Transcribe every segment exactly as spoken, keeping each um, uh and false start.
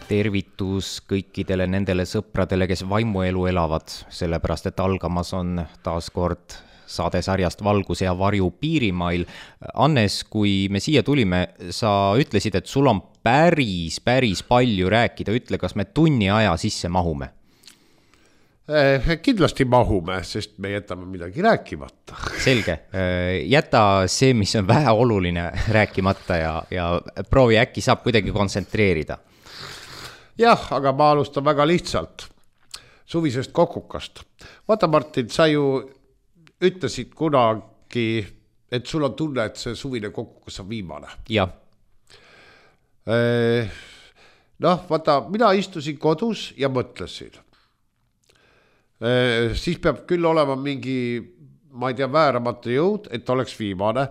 tervitus kõikidele nendele sõpradele, kes vaimuelu elavad, sellepärast et algamas on taas kord saadesarjast Valguse ja varju piirimail. Annes, kui me siia tulime, sa ütlesid, et sul on päris, päris palju rääkida. Ütle, kas me tunni aja sisse mahume? Kindlasti mahume, sest me jätame midagi rääkimata. Selge. Jäta see, mis on vähe oluline rääkimata ja, ja proovi äkki saab kuidagi kontsentreerida. Jah, aga ma alustan väga lihtsalt. Suvisest kokukast. Vaata, Martin, sa ju ütlesid kunagi, et sul on tunne, et see suvine kokukas on viimane. Jah. Noh, vaata, mina istusin kodus ja mõtlesin. Siis peab küll olema mingi, ma ei tea, vääramatu jõud, et oleks viimane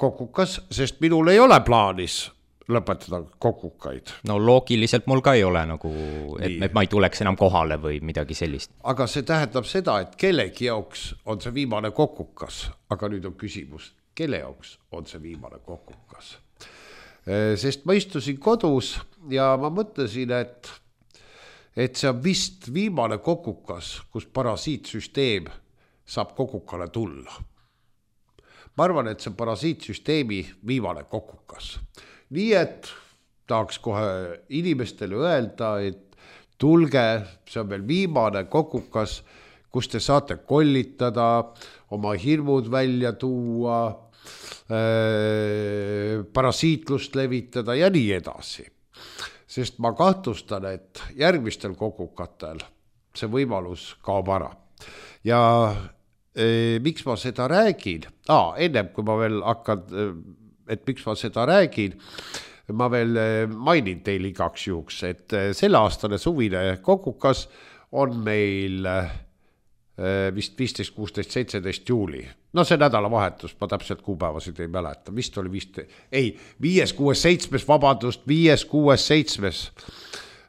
kokukas, sest minul ei ole plaanis lõpetada kokukaid. No loogiliselt mul ka ei ole, nagu, et, et ma ei tuleks enam kohale või midagi sellist. Aga see tähendab seda, et kellegi jaoks on see viimane kokukas. Aga nüüd on küsimus, kelle jaoks on see viimane kokukas. Sest ma istusin kodus ja ma mõtlesin, et et see on vist viimane kokukas, kus parasiitsüsteem saab kokukale tulla. Ma arvan, et see on parasiitsüsteemi viimane kokukas. Nii et tahaks kohe inimestele öelda, et tulge, see on veel viimane kokukas, kus te saate kollitada, oma hirmud välja tuua, äh, parasiitlust levitada ja nii edasi. Sest ma kahtlustan, et järgmistel kokukatel see võimalus kaob ära. Ja e, miks ma seda räägin? Aa, ennem kui ma veel hakkan, et miks ma seda räägin, ma veel mainin teil igaks juhuks, et selle aastane suvine kokukas on meil vist viisteist, kuusteist, seitseteist juuli. No see nädalavahetus, ma täpselt kuupäevasid ei mäleta. Vist oli vist, ei, viies, kuues, seitsmes, vabandust, viies, kuues, seitsmes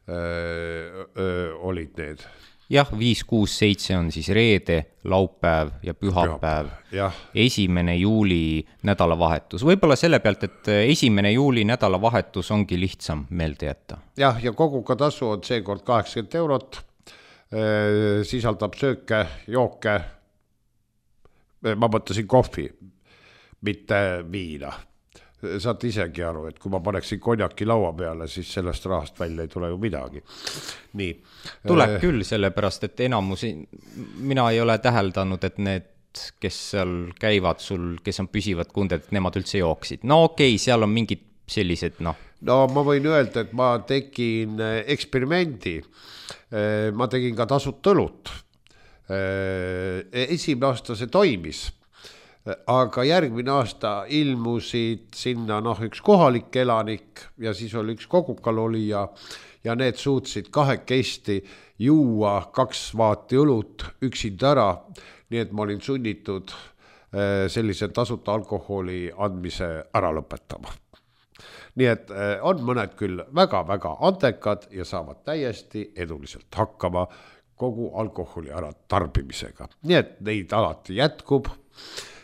öö, öö, olid need. Jah, viis, kuus, seitse on siis reede, laupäev ja pühapäev. Esimene juuli nädalavahetus. Võib-olla selle pealt, et esimene juuli nädalavahetus ongi lihtsam meelde jätta. Jah, ja kogukatasu on seekord kaheksakümmend eurot. Sisaldab sööke, jooke, ma mõtlesin kohvi, mitte viina. Saad isegi aru, et kui ma paneksin konjaki laua peale, siis sellest rahast välja ei tule ju midagi. Nii. Tuleb küll, sellepärast, et enamus, mina ei ole täheldanud, et need, kes seal käivad sul, kes on püsivad kunded, et nemad üldse jooksid. No okei, seal on mingid sellised, noh. No ma võin öelda, et ma tegin eksperimendi. Ma tegin ka tasut õlut. Esimene aasta see toimis, aga järgmine aasta ilmusid sinna noh, üks kohalik elanik ja siis oli üks kogukal olija ja need suutsid kahekesti juua kaks vaati õlut üksinda ära, nii et ma olin sunnitud sellise tasuta alkoholi andmise ära lõpetama. Nii et on mõned küll väga-väga andekad ja saavad täiesti eduliselt hakkama kogu alkoholi ära tarbimisega. Nii et neid alati jätkub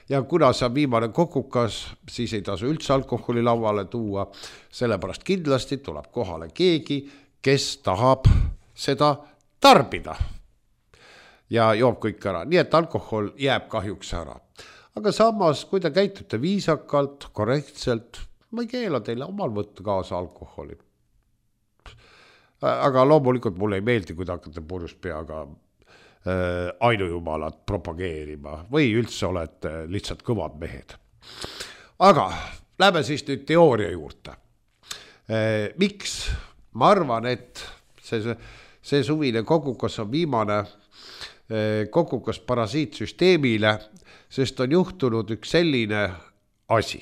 ja kuna see on viimane kokukas, siis ei tasu üldse alkoholi lauale tuua, sellepärast kindlasti tuleb kohale keegi, kes tahab seda tarbida ja joob kõik ära. Nii et alkohol jääb kahjuks ära. Aga samas, kui te käitute viisakalt, korrektselt, ma ei keela teile omal võtta kaasa alkoholi. Aga loomulikult mulle ei meeldi, kui te hakkate purjus peaga äh, ainujumalat propageerima või üldse olete lihtsalt kõvad mehed. Aga lähme siis nüüd teooria juurde. Äh, miks? Ma arvan, et see, see suvine kokukas on viimane äh, kokukas parasiitsüsteemile, sest on juhtunud üks selline asi.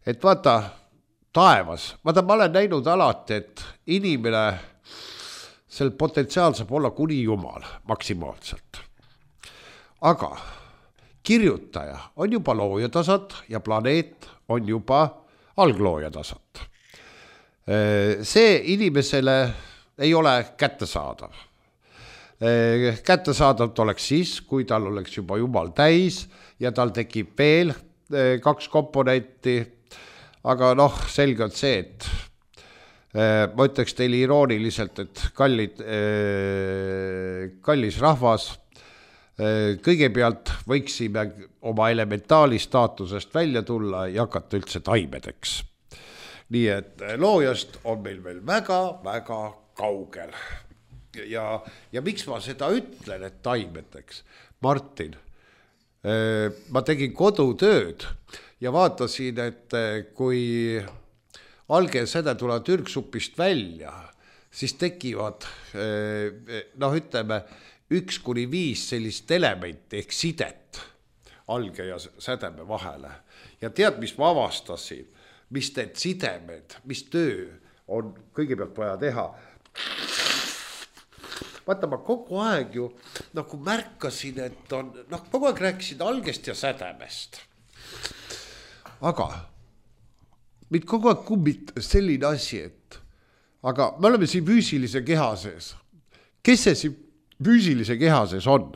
Et vaata, taevas, vaata, ma olen näinud alati, et inimene, sel potentsiaal saab olla kuni jumal maksimaalselt. Aga kirjutaja on juba loojatasand ja planeet on juba algloojatasand. See inimesele ei ole kättesaadav. Kättesaadavalt oleks siis, kui tal oleks juba jumal täis ja tal tekib veel kaks komponenti. Aga noh, selge on see, et ma ütleks teile irooniliselt, et kallid, kallis rahvas, kõigepealt võiksime oma elementaali staatusest välja tulla ja hakata üldse taimedeks. Nii et loojast on meil veel väga-väga kaugel. Ja, ja miks ma seda ütlen, et taimedeks? Martin, ma tegin kodutööd ja vaatasin, et kui alge säde tulevad ürgsupist välja, siis tekivad, noh ütleme, üks kuni viis sellist elementi ehk sidet alge ja sädeme vahele. Ja tead, mis ma avastasin, mis need sidemed, mis töö on kõigepealt vaja teha. Vaata, ma kogu aeg ju nagu märkasin, et on, noh, kogu aeg rääkisin algest ja sädemest. Aga mind kogu aeg kummit selline asi, et aga me oleme siin füüsilise keha sees. Kes see siin füüsilise keha sees on?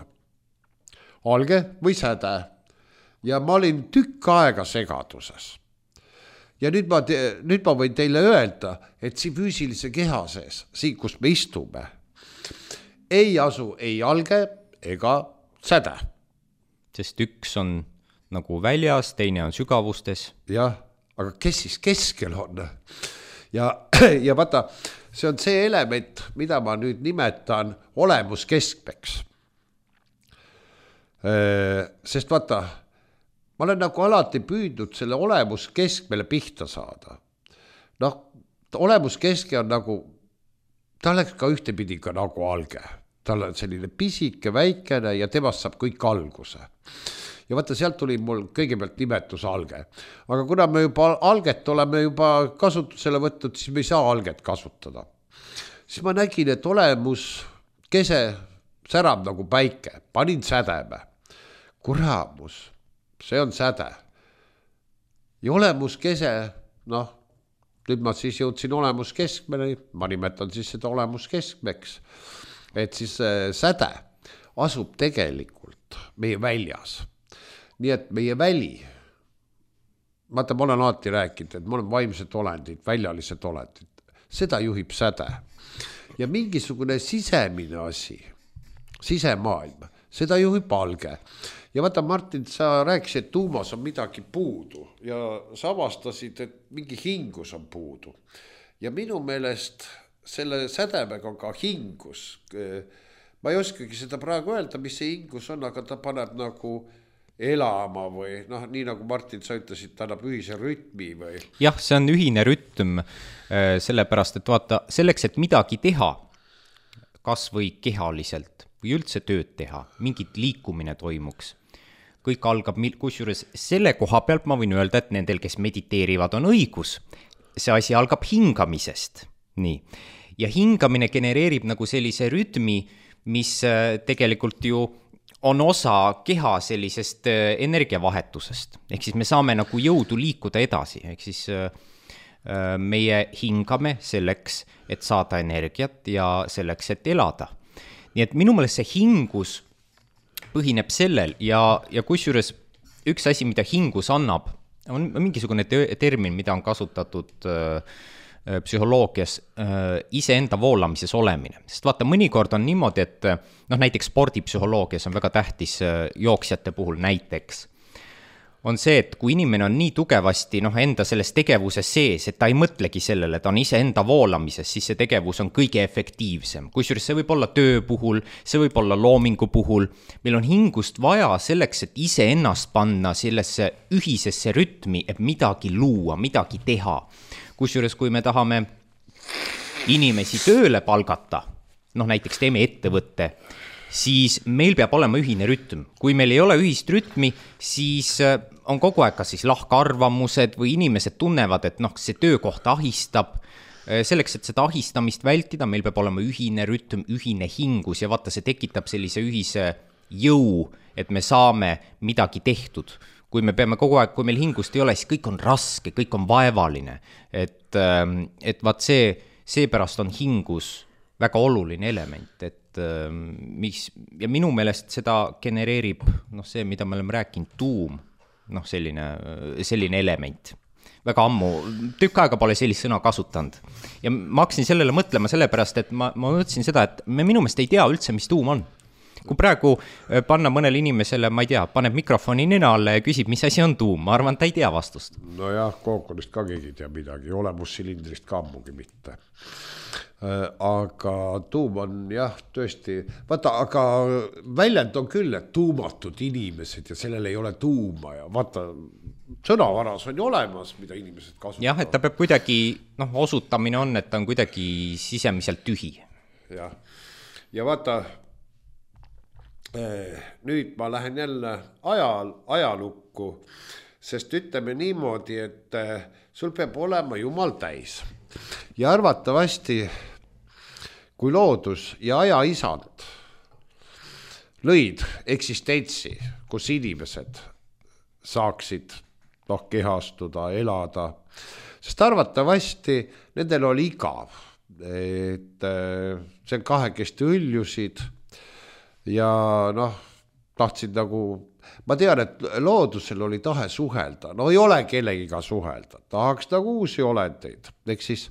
Alge või säde? Ja ma olin tükk aega segaduses. Ja nüüd ma, te, nüüd ma võin teile öelda, et siin füüsilise keha sees, siin kus me istume, ei asu ei alge ega säde. Sest üks on nagu väljas, teine on sügavustes. Jah, aga kes siis keskel on? Ja, ja vaata, see on see element, mida ma nüüd nimetan olemuskeskmeks. Sest vaata, ma olen nagu alati püüdnud selle olemuskeskmele pihta saada. Noh, olemuskeske on nagu, ta oleks ka ühtepidi ka nagu alge. Tal on selline pisike, väikene ja temast saab kõik alguse. Ja vaata, sealt tuli mul kõigepealt nimetus alge. Aga kuna me juba alget oleme juba kasutusele võtnud, siis me ei saa alget kasutada. Siis ma nägin, et olemus kese särab nagu päike. Panin sädeme. Kuramus, see on säde. Ja olemus kese, noh, nüüd ma siis jõudsin olemuskeskmele, ma nimetan siis seda olemuskeskmeks. Et siis säde asub tegelikult meie väljas. Nii et meie väli, vaata, ma olen alati rääkinud, et ma olen vaimsed olendid, väljalised olendid, seda juhib säde. Ja mingisugune sisemine asi, sisemaailm, seda juhib alge. Ja vaata, Martin, sa rääkisid, et tuumas on midagi puudu ja sa avastasid, et mingi hingus on puudu. Ja minu meelest selle sädemega on ka hingus. Ma ei oskagi seda praegu öelda, mis see hingus on, aga ta paneb nagu elama või noh, nii nagu Martin, sa ütlesid, ta annab ühise rütmi või? Jah, see on ühine rütm, sellepärast, et vaata, selleks, et midagi teha, kas või kehaliselt või üldse tööd teha, mingit liikumine toimuks. Kõik algab, kusjuures selle koha pealt ma võin öelda, et nendel, kes mediteerivad, on õigus. See asi algab hingamisest. Nii. Ja hingamine genereerib nagu sellise rütmi, mis tegelikult ju on osa keha sellisest energiavahetusest. Ehk siis me saame nagu jõudu liikuda edasi. Ehk siis meie hingame selleks, et saada energiat ja selleks, et elada. Nii et minu meelest see hingus põhineb sellel ja, ja kusjuures üks asi, mida hingus annab, on mingisugune termin, mida on kasutatud psühholoogias iseenda voolamises olemine. Sest vaata, mõnikord on niimoodi, et noh, näiteks spordipsühholoogias on väga tähtis jooksjate puhul näiteks, on see, et kui inimene on nii tugevasti noh, enda selles tegevuses sees, et ta ei mõtlegi sellele, ta on iseenda voolamises, siis see tegevus on kõige efektiivsem. Kusjuures see võib olla töö puhul, see võib olla loomingu puhul. Meil on hingust vaja selleks, et ise ennast panna sellesse ühisesse rütmi, et midagi luua, midagi teha. Kusjuures kui me tahame inimesi tööle palgata, noh näiteks teeme ettevõtte, siis meil peab olema ühine rütm. Kui meil ei ole ühist rütmi, siis on kogu aeg kas siis lahkarvamused või inimesed tunnevad, et noh, see töökoht ahistab. Selleks, et seda ahistamist vältida, meil peab olema ühine rütm, ühine hingus ja vaata, see tekitab sellise ühise jõu, et me saame midagi tehtud. Kui me peame kogu aeg, kui meil hingust ei ole, siis kõik on raske, kõik on vaevaline. Et, et vaat see, seepärast on hingus väga oluline element, et mis, ja minu meelest seda genereerib noh, see, mida me oleme rääkinud, tuum, noh selline, selline element väga ammu, tükk aega pole sellist sõna kasutanud. Ja ma hakkasin sellele mõtlema sellepärast, et ma, ma mõtlesin seda, et me minu meelest ei tea üldse, mis tuum on. Kui praegu panna mõnele inimesele, ma ei tea, paneb mikrofoni nina alla ja küsib, mis asi on tuum, ma arvan, ta ei tea vastust. No jah, kookonist ka keegi ei tea midagi, olemussilindrist ka ammugi mitte. Aga tuum on jah, tõesti, vaata, aga väljend on küll, et tuumatud inimesed ja sellel ei ole tuuma ja vaata, sõnavaras on ju olemas, mida inimesed kasutavad. Jah, et ta peab kuidagi, noh, osutamine on, et ta on kuidagi sisemiselt tühi. Jah, ja vaata, nüüd ma lähen jälle ajal, ajalukku, sest ütleme niimoodi, et sul peab olema Jumal täis. Ja arvatavasti, kui loodus ja aja isand lõid eksistentsi, kus inimesed saaksid noh, kehastuda, elada, sest arvatavasti nendel oli igav, et see kahekesti õljusid ja noh, tahtsid nagu, ma tean, et loodusel oli tahe suhelda, no ei ole kellegiga suhelda, tahaks nagu uusi olendeid, eks siis,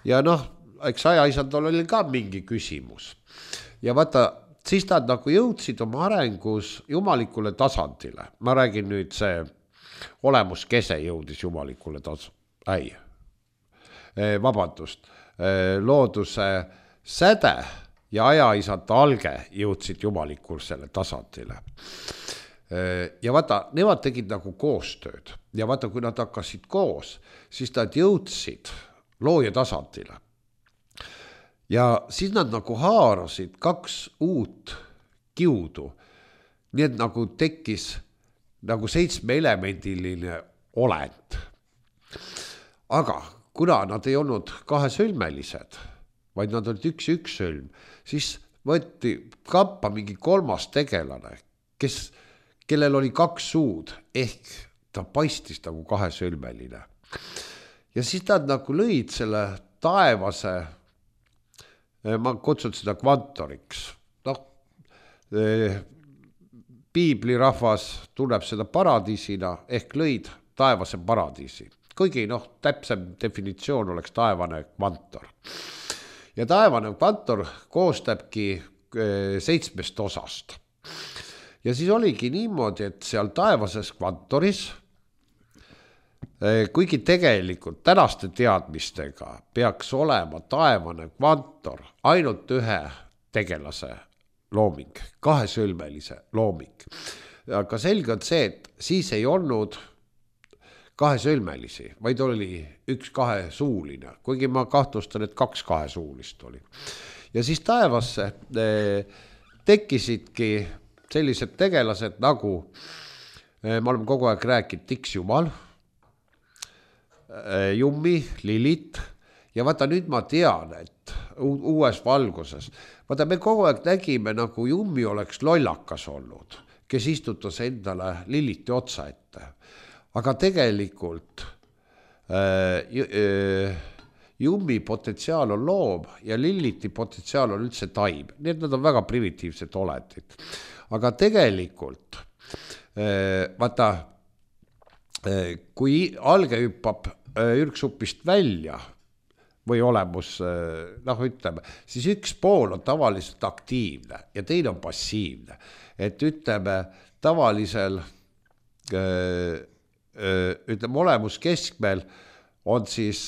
ja noh, eks ajaisandal oli ka mingi küsimus ja vaata, siis nad nagu jõudsid oma arengus jumalikule tasandile, ma räägin nüüd see olemuskese jõudis jumalikule tasandile, ei, vabandust, looduse säde ja ajaisad alge jõudsid jumalikusele tasandile. Ja vaata, nemad tegid nagu koostööd ja vaata, kui nad hakkasid koos, siis nad jõudsid looja tasandile. Ja siis nad nagu haarasid kaks uut kiudu, nii et nagu tekkis nagu seitsmeelemendiline olend. Aga kuna nad ei olnud kahesõlmelised, vaid nad olid üks üks sõlm, siis võeti kappa mingi kolmas tegelane, kes, kellel oli kaks suud, ehk ta paistis nagu kahesõlmeline. Ja siis nad nagu lõid selle taevase, ma kutsun seda kvantoriks, noh, piiblirahvas tunneb seda paradiisina, ehk lõid taevase paradiisi. Kuigi noh, täpsem definitsioon oleks taevane kvantor. Ja taevane kvantor koostabki seitsmest osast. Ja siis oligi niimoodi, et seal taevases kvantoris, kuigi tegelikult tänaste teadmistega peaks olema taevane kvantor ainult ühe tegelase looming, kahesõlmelise looming. Aga selge on see, et siis ei olnud kahesõlmelisi, vaid oli üks kahesuuline, kuigi ma kahtlustan, et kaks kahesuulist oli. Ja siis taevasse tekkisidki sellised tegelased nagu, me oleme kogu aeg rääkinud, Tiks Jumal, Jummi, Lilit, ja vaata nüüd ma tean, et uues valguses, vaata me kogu aeg nägime, nagu Jummi oleks lollakas olnud, kes istutas endale Liliti otsa ette. Aga tegelikult äh, äh, Jummi potentsiaal on loom ja Liliti potentsiaal on üldse taim. Need nad on väga primitiivsed olendid. Aga tegelikult, äh, vaata, äh, kui alge hüppab äh, ürksupist välja või olemus, äh, noh ütleme, siis üks pool on tavaliselt aktiivne ja teine on passiivne. Et ütleme, tavalisel äh, ütleme, olemus keskmel on siis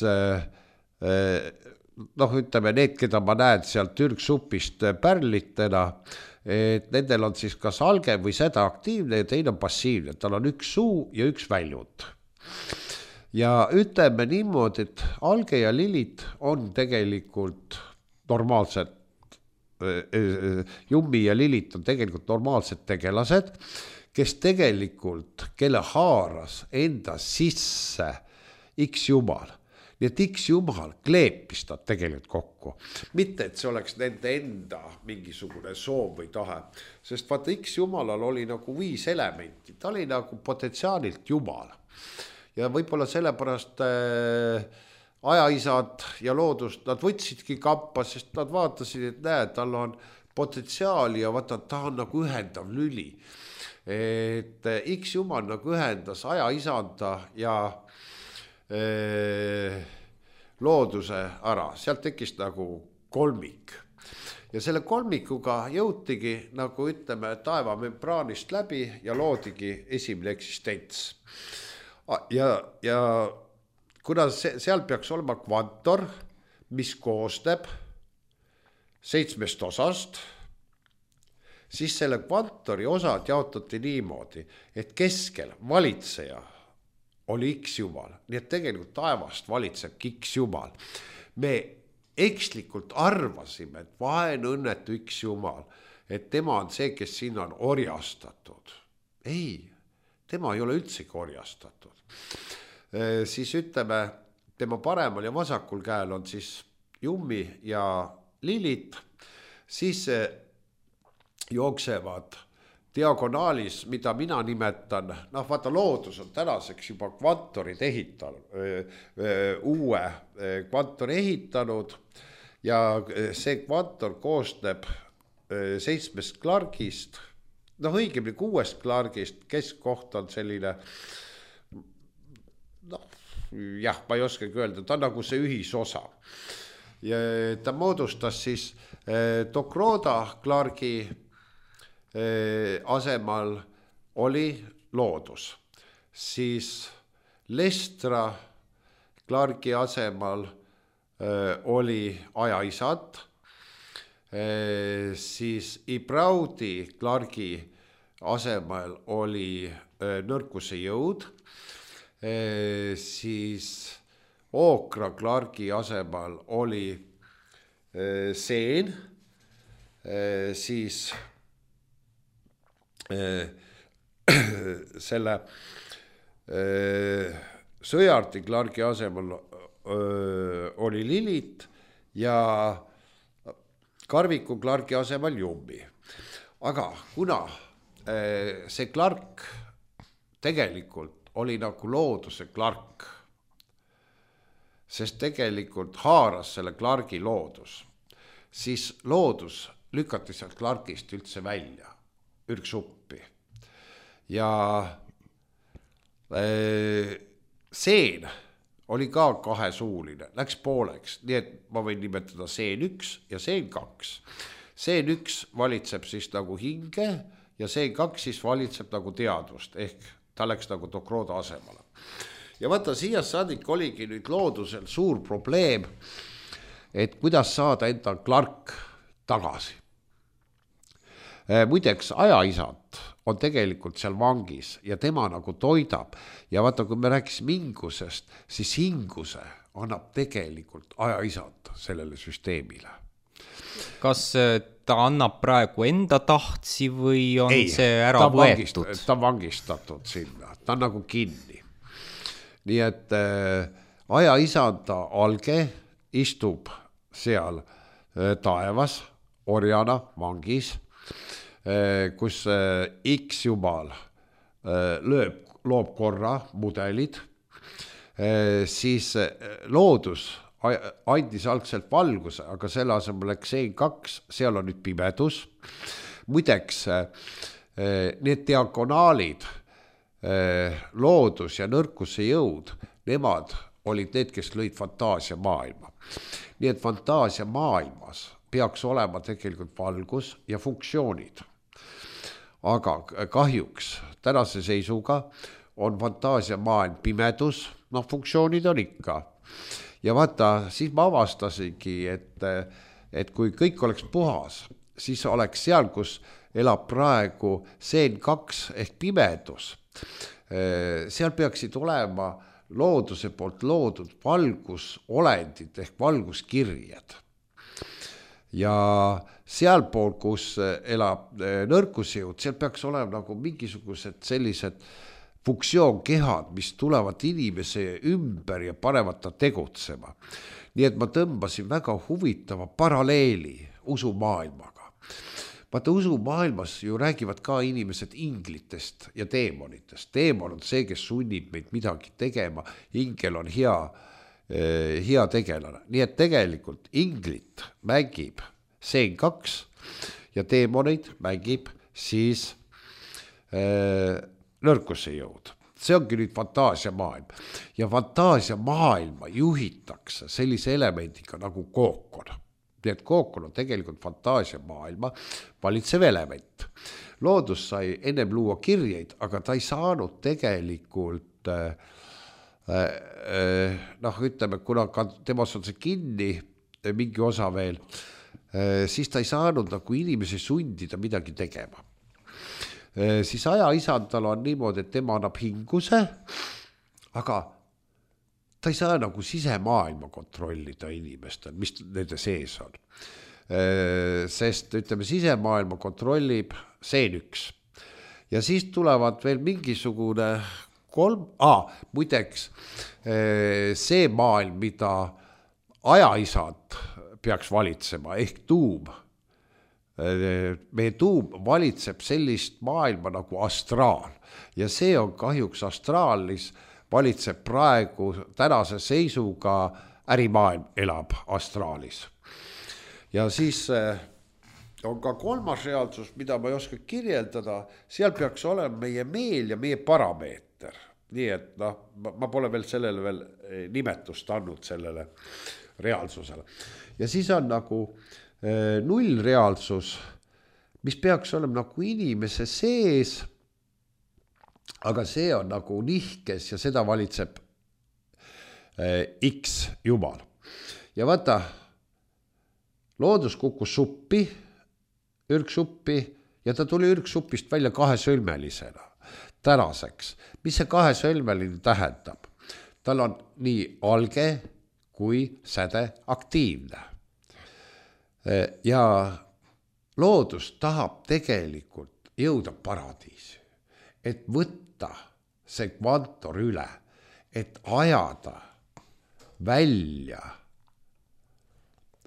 noh, ütleme, need, keda ma näen sealt ürgsupist pärlitena, et nendel on siis kas alge või seda aktiivne ja teine on passiivne, tal on üks suu ja üks väljund. Ja ütleme niimoodi, et alge ja lilit on tegelikult normaalsed, Jummi ja lilit on tegelikult normaalsed tegelased, kes tegelikult, kelle haaras enda sisse X Jumal. Nii et X Jumal kleepis ta tegelikult kokku. Mitte, et see oleks nende enda mingisugune soov või tahe. Sest vaata, X Jumalal oli nagu viis elementi. Ta oli nagu potentsiaalilt Jumal. Ja võib-olla sellepärast äh, ajaisad ja loodust, nad võtsidki kappa, sest nad vaatasid, et näe, tal on potentsiaali ja vaata, ta on nagu ühendav lüli. Et X Jumal nagu ühendas aja isanda ja looduse ära, sealt tekkis nagu kolmik. Ja selle kolmikuga jõutigi nagu ütleme taevamembraanist läbi ja loodigi esimene eksistents. Ja, ja kuna see, seal peaks olema kvantor, mis koosneb seitsmest osast, siis selle kvantori osad jaotati niimoodi, et keskel valitseja oli X jumal, nii et tegelikult taevast valitseb X jumal. Me ekslikult arvasime, et vaene õnnetu X jumal, et tema on see, kes sinna on orjastatud. Ei, tema ei ole üldsegi orjastatud. E, siis ütleme, tema paremal ja vasakul käel on siis Jummi ja Lilit, siis jooksevad diagonaalis, mida mina nimetan, noh vaata loodus on tänaseks juba kvantorid ehitanud, uue kvantori ehitanud ja see kvantor koosneb seitsmest klargist, noh õigemini kuuest klargist, keskkoht on selline, noh jah, ma ei oskagi öelda, ta on nagu see ühisosa. Ja ta moodustas siis Dokroda klargi asemal oli loodus, siis Lestra klargi asemal oli ajaisad, siis Ibraudi klargi asemal oli nõrkuse jõud, siis Ookra klargi asemal oli seen, siis selle Sõjardi klargi asemel oli Lilit ja Karviku klargi asemel Jummi. Aga kuna see klark tegelikult oli nagu looduse klark, sest tegelikult haaras selle klargi loodus, siis loodus lükati sealt klargist üldse välja, ürgsuppi. Ja seen oli ka kahesuuline, läks pooleks, nii et ma võin nimetada seen üks ja seen kaks. Seen üks valitseb siis nagu hinge ja seen kaks siis valitseb nagu teadvust, ehk ta läks nagu Dokroda asemale. Ja vaata, siia saadik oligi nüüd loodusel suur probleem, et kuidas saada enda klark tagasi. Muideks ajaisad on tegelikult seal vangis ja tema nagu toidab. Ja vaata, kui me rääkisime hingusest, siis hinguse annab tegelikult ajaisad sellele süsteemile. Kas ta annab praegu enda tahtsi või on Ei, see ära ta võetud? Vangist, ta on vangistatud sinna, ta on nagu kinni. Nii et äh, ajaisanda alge istub seal äh, taevas, orjana, vangis, äh, kus äh, X jumal äh, lööb, loob korra mudelid, äh, siis äh, loodus andis algselt valguse, aga selle asemel läks seen kaks, seal on nüüd pimedus. Muideks, need diagonaalid, loodus ja nõrkuse jõud, nemad olid need, kes lõid fantaasia maailma. Nii et fantaasia maailmas peaks olema tegelikult valgus ja funktsioonid. Aga kahjuks tänase seisuga on fantaasia maailm pimedus, noh funktsioonid on ikka. Ja vaata, siis ma avastasingi, et, et kui kõik oleks puhas, siis oleks seal, kus elab praegu seen kaks ehk pimedus. Seal peaksid olema looduse poolt loodud valgusolendid ehk valguskirjed. Ja sealpool, kus elab nõrkusjõud, seal peaks olema nagu mingisugused sellised funktsioonkehad, mis tulevad inimese ümber ja panevad ta tegutsema. Nii et ma tõmbasin väga huvitava paralleeli usumaailmaga. Vaata, usumaailmas ju räägivad ka inimesed inglitest ja teemonitest. Teemon on see, kes sunnib meid midagi tegema. Ingel on hea, eh, hea tegelane. Nii et tegelikult inglit mängib seen kaks ja teemoneid mängib siis eh, nõrkuse jõud. see ongi nüüd fantaasiamaailm ja fantaasiamaailma juhitakse sellise elemendiga nagu kookon. Nii et kookon on tegelikult fantaasiamaailma valitsev element. Loodus sai ennem luua kirjeid, aga ta ei saanud tegelikult äh, äh, noh, ütleme, kuna ka temas on see kinni mingi osa veel, äh, siis ta ei saanud nagu inimesi sundida midagi tegema. Äh, siis aja isandal on niimoodi, et tema annab hinguse, aga ta ei saa nagu sisemaailma kontrollida inimestel, mis nende sees on. Sest ütleme, sisemaailma kontrollib seen üks. Ja siis tulevad veel mingisugune kolm, ah, muideks see maailm, mida ajaisad peaks valitsema, ehk tuum. Meie tuum valitseb sellist maailma nagu astraal ja see on kahjuks astraalis valitseb praegu tänase seisuga ärimaailm elab astraalis. Ja siis on ka kolmas reaalsus, mida ma ei oska kirjeldada, seal peaks olema meie meel ja meie parameeter. Nii et noh, ma pole veel sellele veel nimetust andnud sellele reaalsusele. Ja siis on nagu null reaalsus, mis peaks olema nagu inimese sees, aga see on nagu nihkes ja seda valitseb X jumal. Ja vaata, loodus kukkus suppi, ürgsuppi ja ta tuli ürgsupist välja kahesõlmelisena tänaseks. Mis see kahesõlmeline tähendab? Tal on nii alge kui säde aktiivne. Ja loodus tahab tegelikult jõuda paradiisi, et võtta see kvantor üle, et ajada välja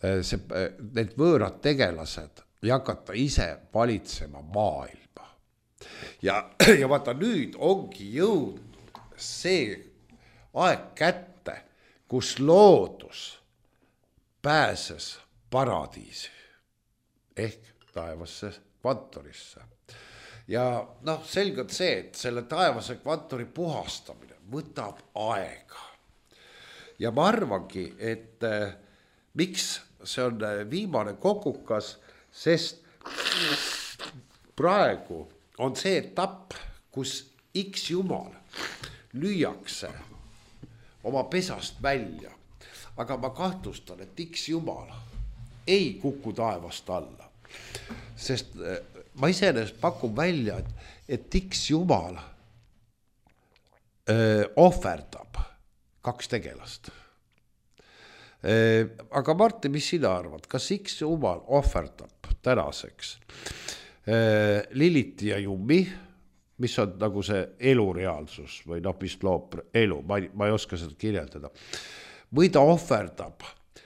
see, need võõrad tegelased ja hakata ise valitsema maailma. Ja, ja vaata nüüd ongi jõudnud see aeg kätte, kus loodus pääses paradiisi ehk taevasse kvantorisse. Ja noh, selgelt see, et selle taevase kvantori puhastamine võtab aega. Ja ma arvangi, et eh, miks see on viimane kokukas, sest praegu on see etapp, kus X jumal lüüakse oma pesast välja. Aga ma kahtlustan, et X jumal ei kuku taevast alla. Sest ma iseenesest pakun välja, et, et X jumal öö, ohverdab kaks tegelast. Aga Martti, mis sina arvad? Kas X jumal ohverdab tänaseks Liliti ja Jummi, mis on nagu see elureaalsus või noh, mis loob elu, ma ei, ma ei oska seda kirjeldada. Või ta ohverdab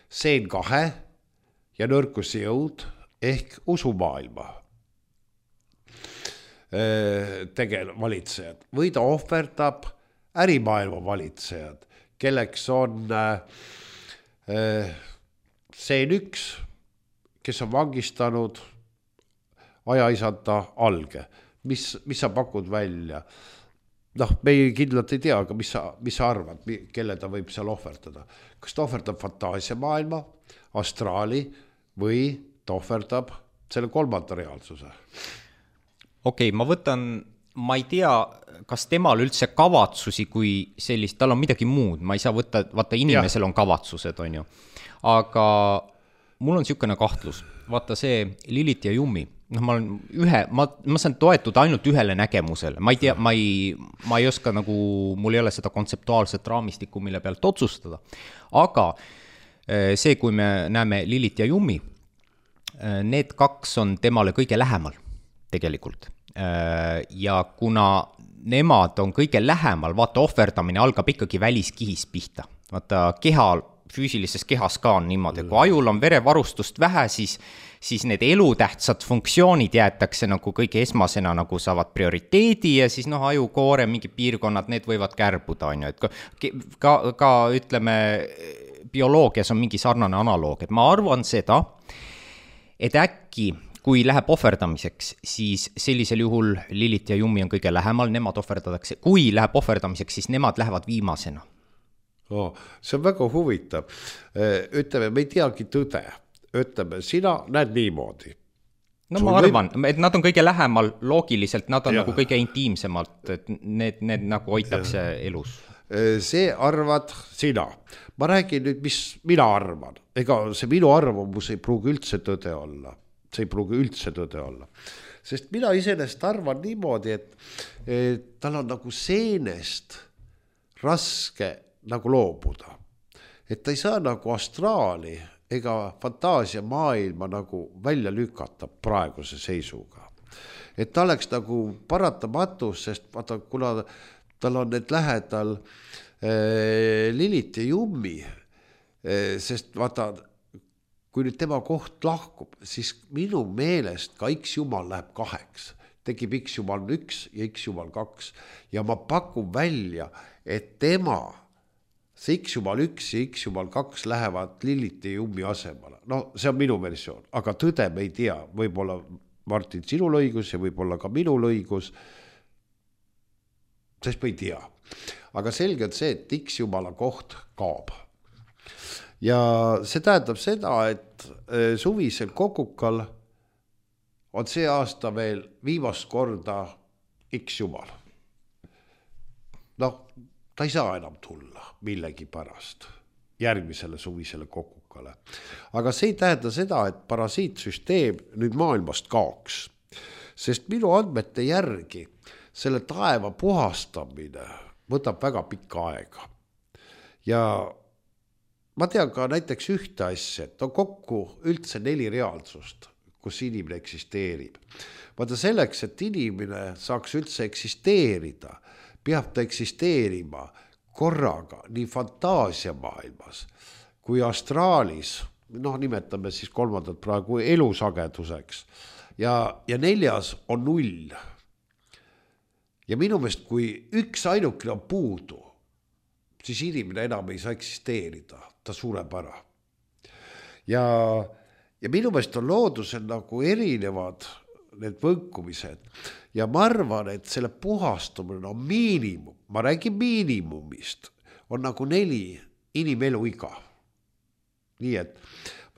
seen kahe ja nõrkusi jõud ehk usumaailma tegel valitsejad. Või ta ohverdab ärimaailma valitsejad, kelleks on seen üks, kes on vangistanud ajaisanta alge. Mis, mis sa pakud välja? Noh, me ei kindlalt ei tea, aga mis sa, mis sa arvad, kelle ta võib seal ohverdada? Kas ta ohverdab fantaasiamaailma, astraali või ta ohverdab selle kolmanda reaalsuse? Okei, okay, ma võtan, ma ei tea, kas temal üldse kavatsusi kui sellist, tal on midagi muud, ma ei saa võtta, vaata inimesel ja. On kavatsused, on ju. Aga mul on niisugune kahtlus, vaata see Lilit ja Jummi, noh, ma olen ühe, ma, ma saan toetuda ainult ühele nägemusele, ma ei tea, ma ei, ma ei oska nagu, mul ei ole seda kontseptuaalset raamistikku, mille pealt otsustada, aga see, kui me näeme Lilit ja Jummi, need kaks on temale kõige lähemal tegelikult. Ja kuna nemad on kõige lähemal, vaata ohverdamine algab ikkagi väliskihis pihta. Vaata keha, füüsilises kehas ka on niimoodi, kui ajul on verevarustust vähe, siis, siis need elutähtsad funktsioonid jäetakse nagu kõige esmasena nagu saavad prioriteedi ja siis noh, ajukoore, mingi piirkonnad, need võivad kärbuda, on ju, et ka, ka, ka ütleme, bioloogias on mingi sarnane analoog, et ma arvan seda, et äkki kui läheb ohverdamiseks, siis sellisel juhul Lilith ja Jummi on kõige lähemal, nemad ohverdatakse. Kui läheb ohverdamiseks, siis nemad lähevad viimasena. Oh, see on väga huvitav. Ütleme, me ei teagi tõde. Ütleme, sina näed niimoodi. No Sul ma arvan, või... et nad on kõige lähemal loogiliselt, nad on ja. nagu kõige intiimsemalt, et need, need nagu hoitakse ja. elus. See arvad sina. Ma räägin nüüd, mis mina arvan. Ega see minu arvamus ei pruugi üldse tõde olla. See ei pruugi üldse tõde olla. Sest mina iseenesest arvan niimoodi, et, et tal on nagu seenest raske nagu loobuda. Et ta ei saa nagu astraali ega fantaasia maailma nagu välja lükata praeguse seisuga. Et ta oleks nagu paratamatus, sest vaata, kuna tal on need lähedal äh, Lilith ja Jummi, äh, sest vaata, kui nüüd tema koht lahkub, siis minu meelest ka X jumal läheb kaheks. Tekib X jumal üks ja X jumal kaks. Ja ma pakun välja, et tema, see X jumal üks ja X jumal kaks lähevad Lilith ja Jummi asemale. No see on minu versioon, aga tõde me ei tea. Võib-olla Martin sinul õigus ja võib-olla ka minul õigus, sest me ei tea. Aga selge on see, et X jumala koht kaob. Ja see tähendab seda, et suvisel kokukal on see aasta veel viimast korda X jumal. Noh, ta ei saa enam tulla millegi pärast järgmisele suvisele kokukale. Aga see ei tähenda seda, et parasiitsüsteem nüüd maailmast kaoks. Sest minu andmete järgi selle taeva puhastamine võtab väga pikka aega. Ja ma tean ka näiteks ühte asja, et on kokku üldse neli reaalsust, kus inimene eksisteerib. Vaata selleks, et inimene saaks üldse eksisteerida, peab ta eksisteerima korraga nii fantaasiamaailmas kui astraalis, noh nimetame siis kolmandat praegu elusageduseks, ja, ja neljas on null. Ja minu meelest, kui üks ainukene on puudu, siis inimene enam ei saa eksisteerida, ta sureb ära. Ja, ja minu meelest on loodusel nagu erinevad need võnkumised. Ja ma arvan, et selle puhastumine on miinimum, ma räägin miinimumist, on nagu neli inimelu iga. Nii et,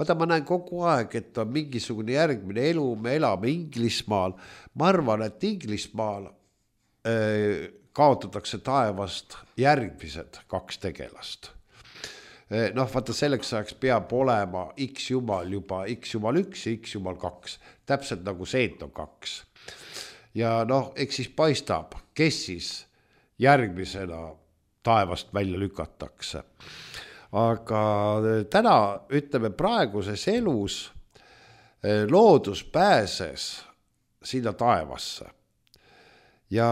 vaata ma näen kogu aeg, et on mingisugune järgmine elu, me elame Inglismaal. Ma arvan, et Inglismaal äh, kaotatakse taevast järgmised kaks tegelast. Noh, vaata selleks ajaks peab olema X jumal juba X jumal üks ja X jumal kaks. Täpselt nagu seet on kaks. Ja noh, eks siis paistab, kes siis järgmisena taevast välja lükatakse. Aga täna, ütleme praeguses elus, loodus pääses sinna taevasse. Ja,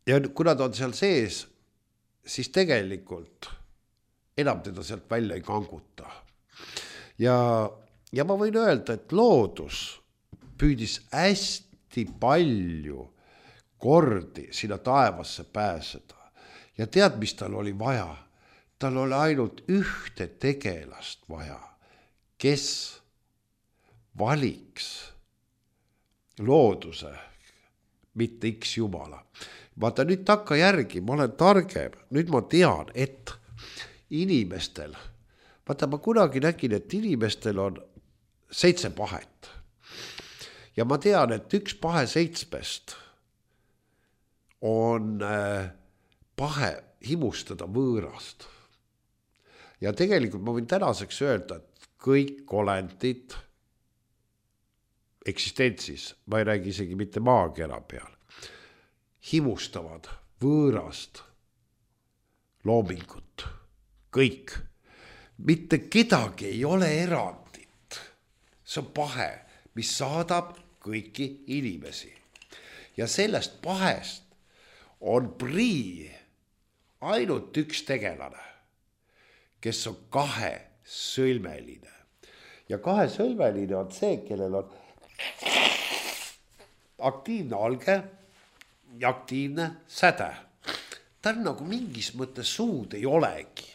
ja kuna ta on seal sees, siis tegelikult enam teda sealt välja ei kanguta. Ja, ja ma võin öelda, et loodus püüdis hästi palju kordi sinna taevasse pääseda. Ja tead, mis tal oli vaja? Tal oli ainult ühte tegelast vaja, kes valiks looduse, mitte X jumala. Vaata nüüd takka järgi, ma olen targem, nüüd ma tean, et inimestel, vaata ma kunagi nägin, et inimestel on seitse pahet. Ja ma tean, et üks pahe seitsmest on pahe himustada võõrast. Ja tegelikult ma võin tänaseks öelda, et kõik olendid eksistentsis, ma ei räägi isegi mitte maakera peal, himustavad võõrast loomingut. Kõik. Mitte kedagi ei ole erandit. See on pahe, mis saadab kõiki inimesi. Ja sellest pahest on prii ainult üks tegelane, kes on kahe sõlmeline. Ja kahe sõlmeline on see, kellel on aktiivne alge ja aktiivne säde. Ta on nagu mingis mõttes suud ei olegi.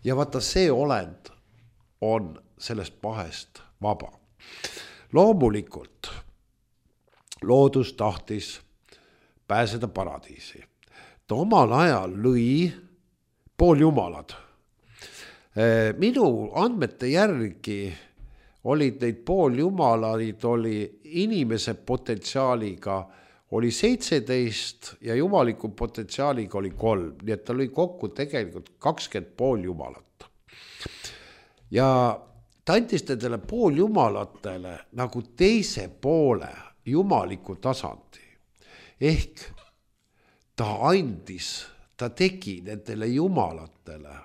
Ja vaata see olend on sellest pahest vaba. loomulikult loodus tahtis pääseda paradiisi. Ta omal ajal lõi pooljumalad. Minu andmete järgi olid neid pooljumalaid, oli inimese potentsiaaliga oli seitseteist ja jumaliku potentsiaaliga oli kolm, nii et ta lõi kokku tegelikult kakskümmend pooljumalat. Ja ta andis nendele pooljumalatele nagu teise poole jumaliku tasandi. Ehk ta andis, ta tegi nendele jumalatele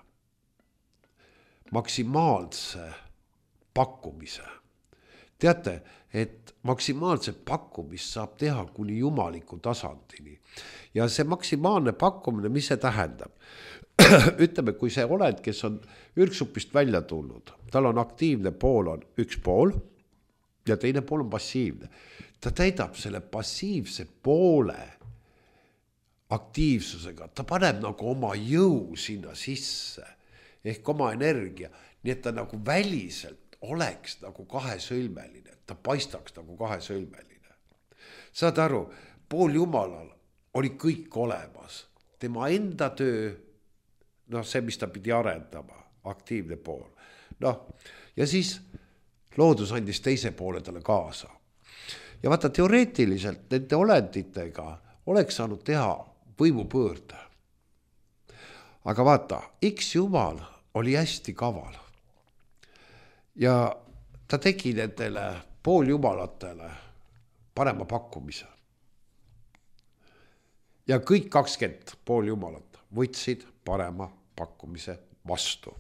maksimaalse pakkumise. Teate, et maksimaalse pakkumist saab teha kuni jumaliku tasandini. Ja see maksimaalne pakkumine, mis see tähendab? Ütleme, kui see oled, kes on ürgsupist välja tulnud, tal on aktiivne pool on üks pool ja teine pool on passiivne. Ta täidab selle passiivse poole aktiivsusega, ta paneb nagu oma jõu sinna sisse, ehk oma energia, nii et ta nagu väliselt oleks nagu kahesõlmeline, ta paistaks nagu kahesõlmeline. Saad aru, pooljumalal oli kõik olemas, tema enda töö, noh see, mis ta pidi arendama, aktiivne pool. Noh, ja siis loodus andis teise poole talle kaasa. Ja vaata, teoreetiliselt nende olenditega oleks saanud teha võimupõõrde. Aga vaata, X jumal oli hästi kaval. Ja ta tegi nendele pooljumalatele parema pakkumise. Ja kõik kakskümmend pooljumalat võtsid parema pakkumise vastu.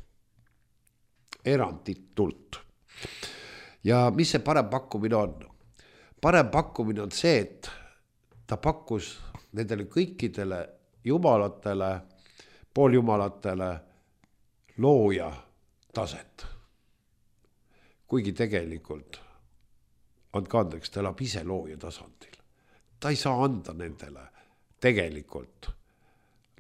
Eranditult. Ja mis see parem pakkumine on? Parem pakkumine on see, et ta pakkus nendele kõikidele jumalatele, pooljumalatele looja taset. Kuigi tegelikult on kandeks, ta elab ise looja tasandil. Ta ei saa anda nendele tegelikult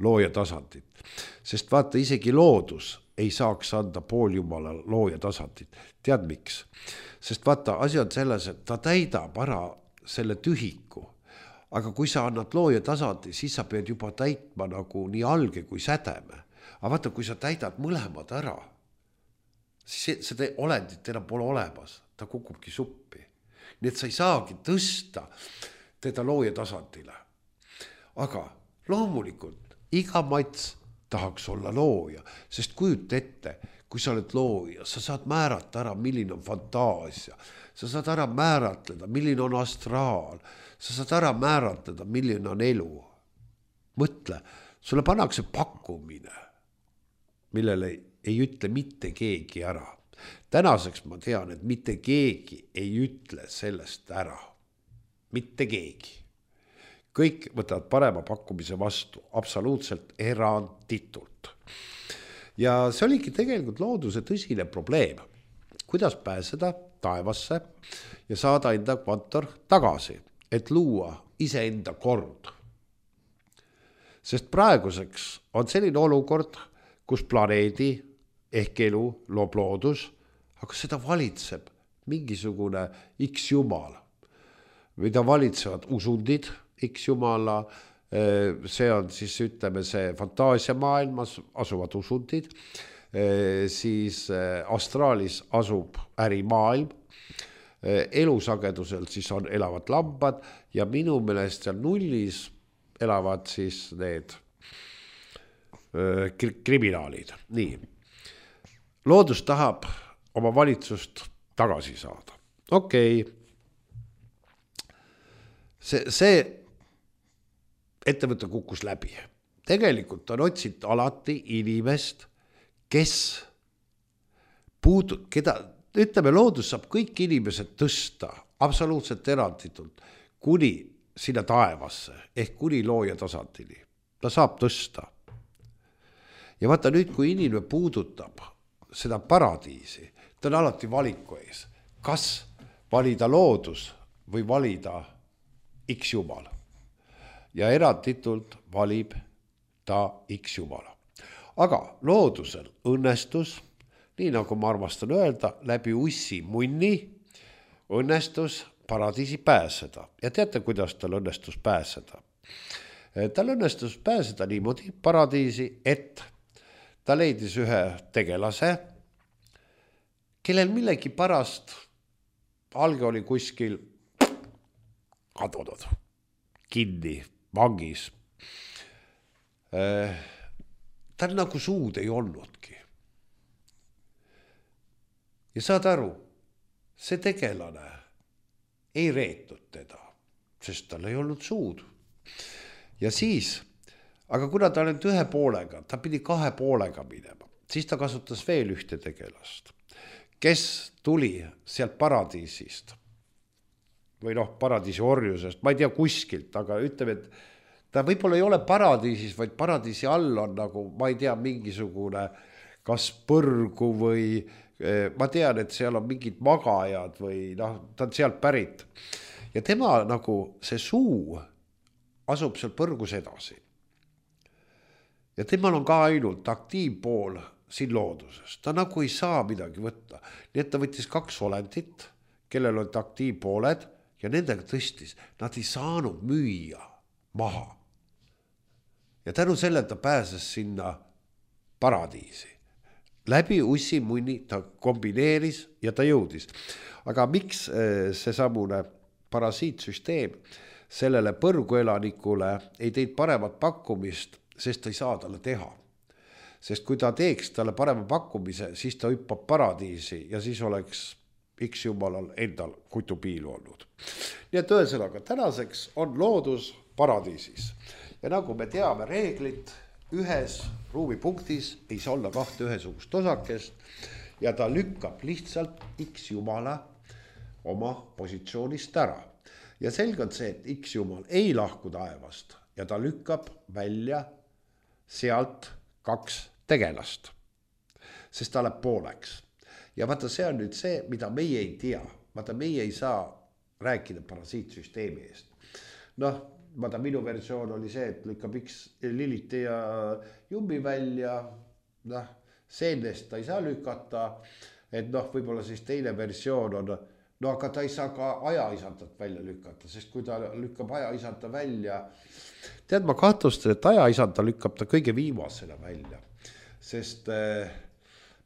looja tasandit. Sest vaata, isegi loodus ei saaks anda pooljumala looja tasandit. Tead miks? Sest vaata, asi on selles, et ta täidab ära selle tühiku. Aga kui sa annad looja tasandi, siis sa pead juba täitma nagu nii alge kui sädeme. Aga vaata, kui sa täidad mõlemad ära, siis seda olendit enam pole olemas. Ta kukubki suppi. Nii et sa ei saagi tõsta teda looja tasandile. Aga loomulikult iga mats tahaks olla looja, sest kujut ette, kui sa oled looja, sa saad määrata ära, milline on fantaasia, sa saad ära määratleda, milline on astraal, sa saad ära määratleda, milline on elu. Mõtle, sulle pannakse pakkumine, millele ei ütle mitte keegi ära. Tänaseks ma tean, et mitte keegi ei ütle sellest ära. Mitte keegi. Kõik võtavad parema pakkumise vastu, absoluutselt eranditult. Ja see oligi tegelikult looduse tõsine probleem. Kuidas pääseda taevasse ja saada enda kvantor tagasi, et luua iseenda kord. Sest praeguseks on selline olukord, kus planeedi ehk elu loob loodus, aga seda valitseb mingisugune X jumal, mida valitsevad usundid, X jumala, see on siis ütleme see fantaasia maailmas asuvad usundid, siis astraalis asub ärimaailm, elusagedusel siis on elavad lambad ja minu meelest seal nullis elavad siis need kriminaalid. Nii, loodus tahab oma valitsust tagasi saada. Okei, see, see ettevõte kukkus läbi. Tegelikult on otsinud alati inimest, kes puudub, keda, ütleme, loodus saab kõik inimesed tõsta absoluutselt eranditult kuni sinna taevasse ehk kuni looja tasandini. Ta saab tõsta. Ja vaata nüüd, kui inimene puudutab seda paradiisi, ta on alati valiku ees. Kas valida loodus või valida X jumal? Ja eranditult valib ta X jumala. Aga loodusel õnnestus, nii nagu ma armastan öelda, läbi ussi munni õnnestus paradiisi pääseda ja teate, kuidas tal õnnestus pääseda? Tal õnnestus pääseda niimoodi paradiisi, et ta leidis ühe tegelase, kellel millegi pärast alge oli kuskil kadunud, kinni, vangis. Tal nagu suud ei olnudki. Ja saad aru, see tegelane ei reetnud teda, sest tal ei olnud suud. Ja siis, aga kuna ta oli ühe poolega, ta pidi kahe poolega minema, siis ta kasutas veel ühte tegelast, kes tuli sealt paradiisist või noh, paradiisi orjusest, ma ei tea kuskilt, aga ütleme, et ta võib-olla ei ole paradiisis, vaid paradiisi all on nagu, ma ei tea, mingisugune kas põrgu või ma tean, et seal on mingid magajad või noh, ta on sealt pärit. Ja tema nagu see suu asub seal põrgus edasi. Ja temal on ka ainult aktiivpool siin looduses. Ta nagu ei saa midagi võtta. Nii et ta võttis kaks olendit, kellel olid aktiivpooled ja nendega tõstis. Nad ei saanud müüa maha. Ja tänu selle ta pääses sinna paradiisi. Läbi ussimunni ta kombineeris ja ta jõudis. Aga miks see samune parasiitsüsteem sellele põrguelanikule ei teid paremat pakkumist, sest ta ei saa talle teha. Sest kui ta teeks talle parema pakkumise, siis ta hüppab paradiisi ja siis oleks X jumalal endal kutupiilu olnud. Nii et ühesõnaga, tänaseks on loodus paradiisis. Ja nagu me teame reeglit, ühes ruumipunktis ei saa olla kahte ühesugust osakest ja ta lükkab lihtsalt X jumala oma positsioonist ära. Ja selge on see, et X jumal ei lahku taevast ja ta lükkab välja sealt kaks tegelast, sest ta läheb pooleks. Ja vaata, see on nüüd see, mida meie ei tea. Vaata, meie ei saa rääkida parasiitsüsteemi eest. Noh, vaata, minu versioon oli see, et lükkab X Liliti ja Jummi välja, noh, seenest ta ei saa lükata, et noh, võib-olla siis teine versioon on, no aga ta ei saa ka ajaisantat välja lükata, sest kui ta lükkab ajaisanta välja, tead, ma kahtlustan, et ajaisanta lükkab ta kõige viimasena välja, sest eh,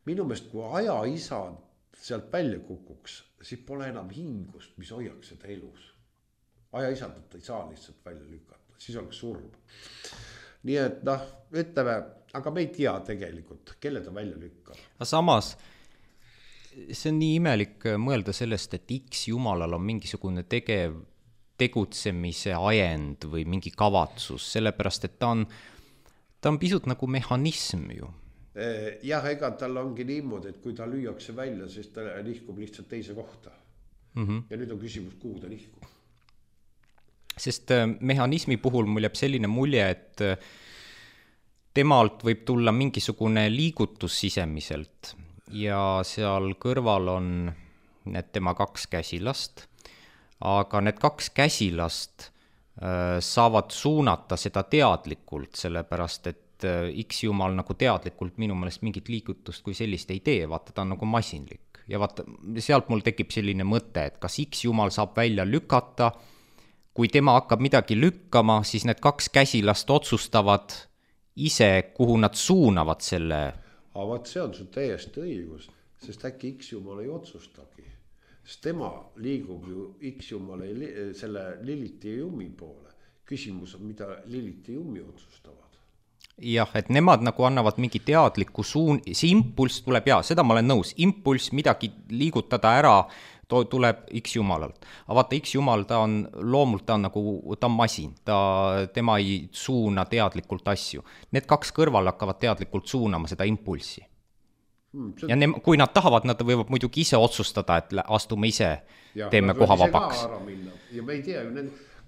minu meelest, kui ajaisand sealt välja kukuks, siis pole enam hingust, mis hoiaks seda elus. Ajaisandat ei saa lihtsalt välja lükata, siis oleks surm. Nii et noh, ütleme, aga me ei tea tegelikult, kelle ta välja lükkab. Aga samas, see on nii imelik mõelda sellest, et X jumalal on mingisugune tegev, tegutsemise ajend või mingi kavatsus, sellepärast, et ta on, ta on pisut nagu mehhanism ju. Jah, ega tal ongi niimoodi, et kui ta lüüakse välja, siis ta nihkub lihtsalt teise kohta. Mm-hmm. Ja nüüd on küsimus, kuhu ta nihkub. Sest mehhanismi puhul mul jääb selline mulje, et temalt võib tulla mingisugune liigutus sisemiselt ja seal kõrval on need tema kaks käsilast, aga need kaks käsilast saavad suunata seda teadlikult, sellepärast et X jumal nagu teadlikult minu meelest mingit liigutust kui sellist ei tee, vaata ta on nagu masinlik. Ja vaata, sealt mul tekib selline mõte, et kas X jumal saab välja lükata, kui tema hakkab midagi lükkama, siis need kaks käsilast otsustavad ise, kuhu nad suunavad selle. Aga vaat see on sul täiesti õigus, sest äkki X jumal ei otsustagi. Sest tema liigub ju X jumale selle Liliti ja Jummi poole. Küsimus on, mida Liliti ja Jummi otsustavad. Jah, et nemad nagu annavad mingi teadliku suun, see impulss tuleb, ja seda ma olen nõus, impulss midagi liigutada ära, tuleb X jumalalt. Aga vaata, X jumal, ta on loomult, ta on nagu, ta on masin, ta, tema ei suuna teadlikult asju. Need kaks kõrval hakkavad teadlikult suunama seda impulssi. Hmm, see... Ja ne, kui nad tahavad, nad võivad muidugi ise otsustada, et astume ise, ja, teeme koha vabaks. Ja me ei tea,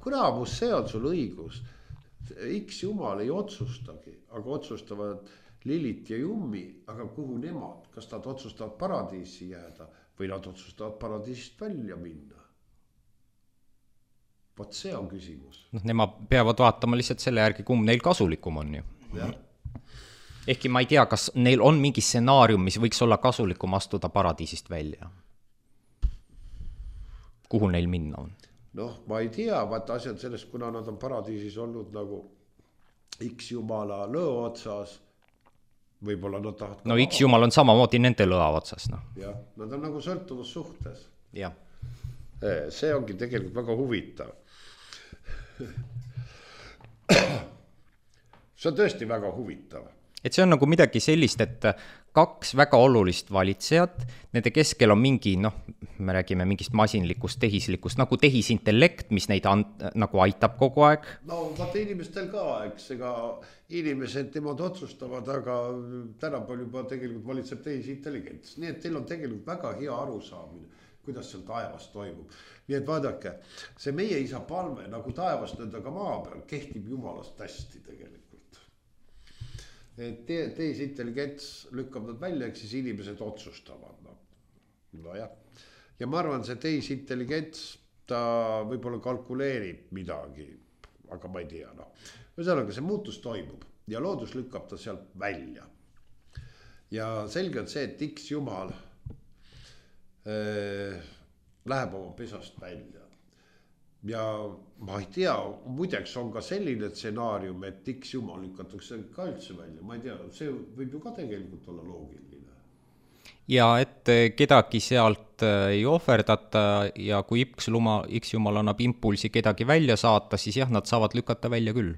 kuramus, see on sul õigus. X jumal ei otsustagi, aga otsustavad Lilit ja Jummi, aga kuhu nemad, kas nad otsustavad paradiisi jääda või nad otsustavad paradiisist välja minna. Vot see on küsimus. No, nemad peavad vaatama lihtsalt selle järgi, kumb neil kasulikum on ju. Ja. Ehkki ma ei tea, kas neil on mingi stsenaarium, mis võiks olla kasulikum astuda paradiisist välja. kuhu neil minna on? Noh, ma ei tea, vaata asjad sellest, kuna nad on paradiisis olnud nagu X jumala lõo otsas, võib-olla nad tahavad no X jumal on samamoodi nende lõa otsas, noh. jah, nad on nagu sõltuvus suhtes. jah. See ongi tegelikult väga huvitav. See on tõesti väga huvitav. Et see on nagu midagi sellist, et kaks väga olulist valitsejat, nende keskel on mingi, noh, me räägime mingist masinlikust, tehislikust, nagu tehisintellekt, mis neid an, nagu aitab kogu aeg. No vaata inimestel ka, eks, ega inimesed nemad otsustavad, aga tänapäeval juba tegelikult valitseb tehisintelligents. Nii et teil on tegelikult väga hea arusaamine, kuidas seal taevas toimub. Nii et vaadake, see meie isa palve nagu taevas nõnda ka maa peal kehtib jumalast hästi tegelikult. Et tehisintelligents lükkab nad välja, eks siis inimesed otsustavad. No, no jah. Ja ma arvan, see tehisintelligents, ta võib-olla kalkuleerib midagi, aga ma ei tea. No. Ühesõnaga, see muutus toimub ja loodus lükkab ta sealt välja. Ja selge on see, et X jumal äh, läheb oma pesast välja. Ja ma ei tea, muideks on ka selline stsenaarium, et X jumal lükatakse ka üldse välja. Ma ei tea, see võib ju ka tegelikult olla loogiline. Ja et kedagi sealt ei ohverdata ja kui X jumal, X jumal annab impulsi kedagi välja saata, siis jah, nad saavad lükata välja küll.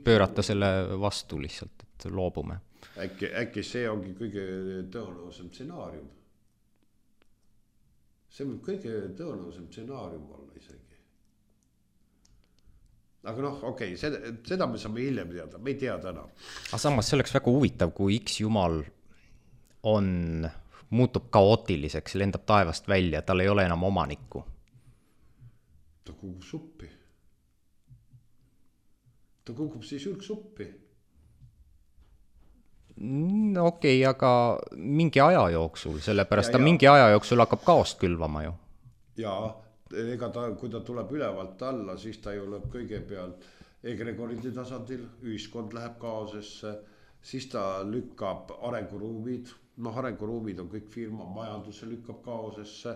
Pöörata selle vastu lihtsalt, et loobume. Äkki, äkki see ongi kõige tõenäosem stsenaarium. See võib kõige tõenäosem stsenaarium olla isegi. Aga noh, okei, okay, seda, seda me saame hiljem teada, me ei tea täna. Aga samas see oleks väga huvitav, kui X jumal on, muutub kaootiliseks, lendab taevast välja, tal ei ole enam omanikku. Ta kukub suppi. Ta kukub siis ülksuppi. Okei, okay, aga mingi aja jooksul, sellepärast ja, ta ja. mingi aja jooksul hakkab kaost külvama ju. Jaa. Ega ta, kui ta tuleb ülevalt alla, siis ta ju lööb kõigepealt egregoride tasandil, ühiskond läheb kaosesse, siis ta lükkab arenguruumid, noh arenguruumid on kõik firma, majanduse lükkab kaosesse,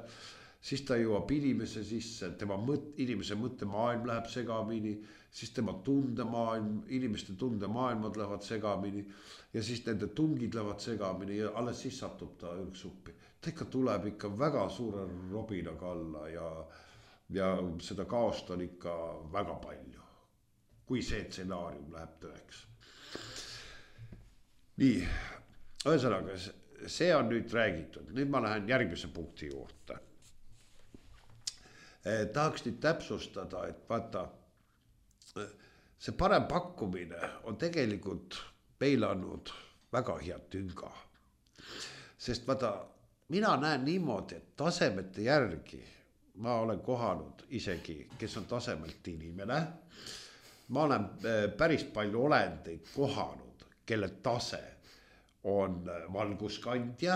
siis ta jõuab inimese sisse, tema mõt, inimese mõttemaailm läheb segamini, siis tema tundemaailm, inimeste tundemaailmad lähevad segamini ja siis nende tungid lähevad segamini ja alles siis satub ta ülksuppi. Ta ikka tuleb ikka väga suure robinaga alla ja ja seda kaost on ikka väga palju, kui see stsenaarium läheb tõeks. Nii, ühesõnaga, see on nüüd räägitud. Nüüd ma lähen järgmise punkti juurde. Eh, tahaks nüüd täpsustada, et vaata, see parem pakkumine on tegelikult peilanud väga hea tünga. Sest vaata, mina näen niimoodi, et tasemete järgi ma olen kohanud isegi, kes on tasemelt inimene. Ma olen päris palju olendeid kohanud, kelle tase on valguskandja.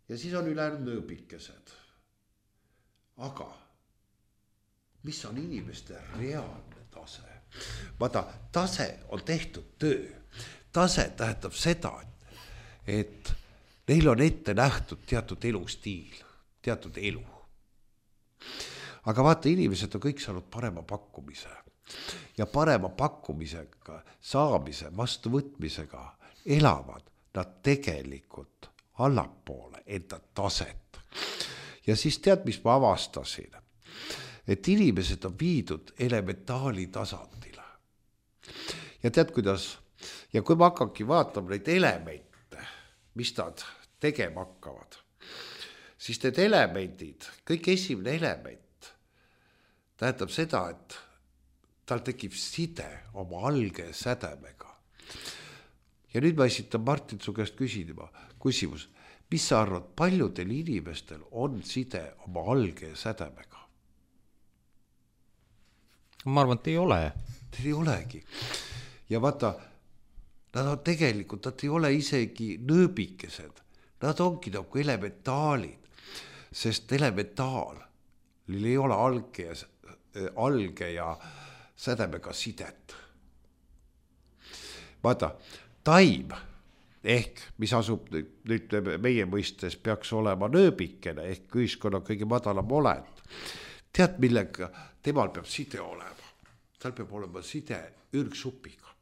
Ja siis on ülejäänud nööbikesed. Aga mis on inimeste reaalne tase? Vaata, tase on tehtud töö. Tase tähendab seda, et neil on ette nähtud teatud elustiil. Teatud elu. Aga vaata, inimesed on kõik saanud parema pakkumise ja parema pakkumisega, saamise, vastuvõtmisega elavad nad tegelikult allapoole enda taset. Ja siis tead, mis ma avastasin, et inimesed on viidud elementaali tasandile. Ja tead, kuidas, ja kui ma hakkangi vaatama neid elemente, mis nad tegema hakkavad, siis need elemendid, kõik esimene element tähendab seda, et tal tekib side oma alge sädemega. Ja nüüd ma esitan Martin su käest küsima, küsimus, mis sa arvad, paljudel inimestel on side oma alge sädemega? Ma arvan, et ei ole. Teil ei olegi. Ja vaata, nad on tegelikult, nad ei ole isegi nööbikesed. Nad ongi nagu elementaalid. Sest elementaal ei ole alge ja, alge ja sädemega sidet. Vaata, taim ehk mis asub nüüd meie mõistes peaks olema nööbikene ehk ühiskonna kõige madalam olend. Tead, millega temal peab side olema? Tal peab olema side ürgsupiga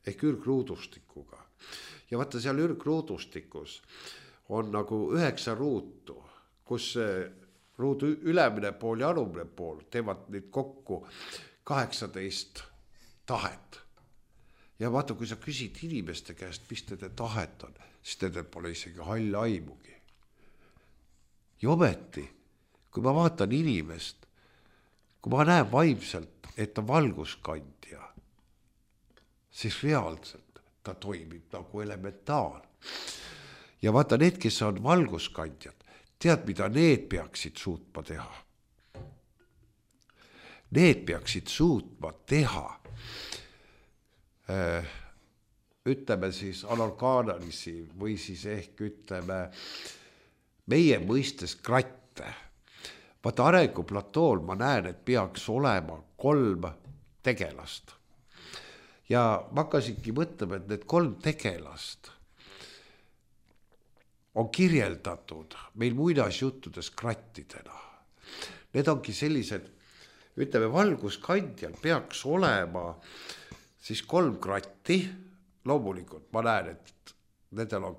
ehk ürgruudustikuga. Ja vaata seal ürgruudustikus on nagu üheksa ruutu, kus ruudu ülemine pool ja alumine pool teevad neid kokku kaheksateist tahet. Ja vaata, kui sa küsid inimeste käest, mis nende tahet on, siis nendel pole isegi hall aimugi. Ja ometi, kui ma vaatan inimest, kui ma näen vaimselt, et ta valguskandja, siis reaalselt ta toimib nagu elementaal. Ja vaata, need, kes on valguskandjad, tead, mida need peaksid suutma teha? Need peaksid suutma teha ütleme siis anorgaanalisi või siis ehk ütleme meie mõistes kratte. Vaata arenguplatool ma näen, et peaks olema kolm tegelast. Ja ma hakkasingi mõtlema, et need kolm tegelast on kirjeldatud meil muinasjuttudes krattidena. Need ongi sellised, ütleme valguskandjal peaks olema siis kolm kratti, loomulikult ma näen, et nendel on,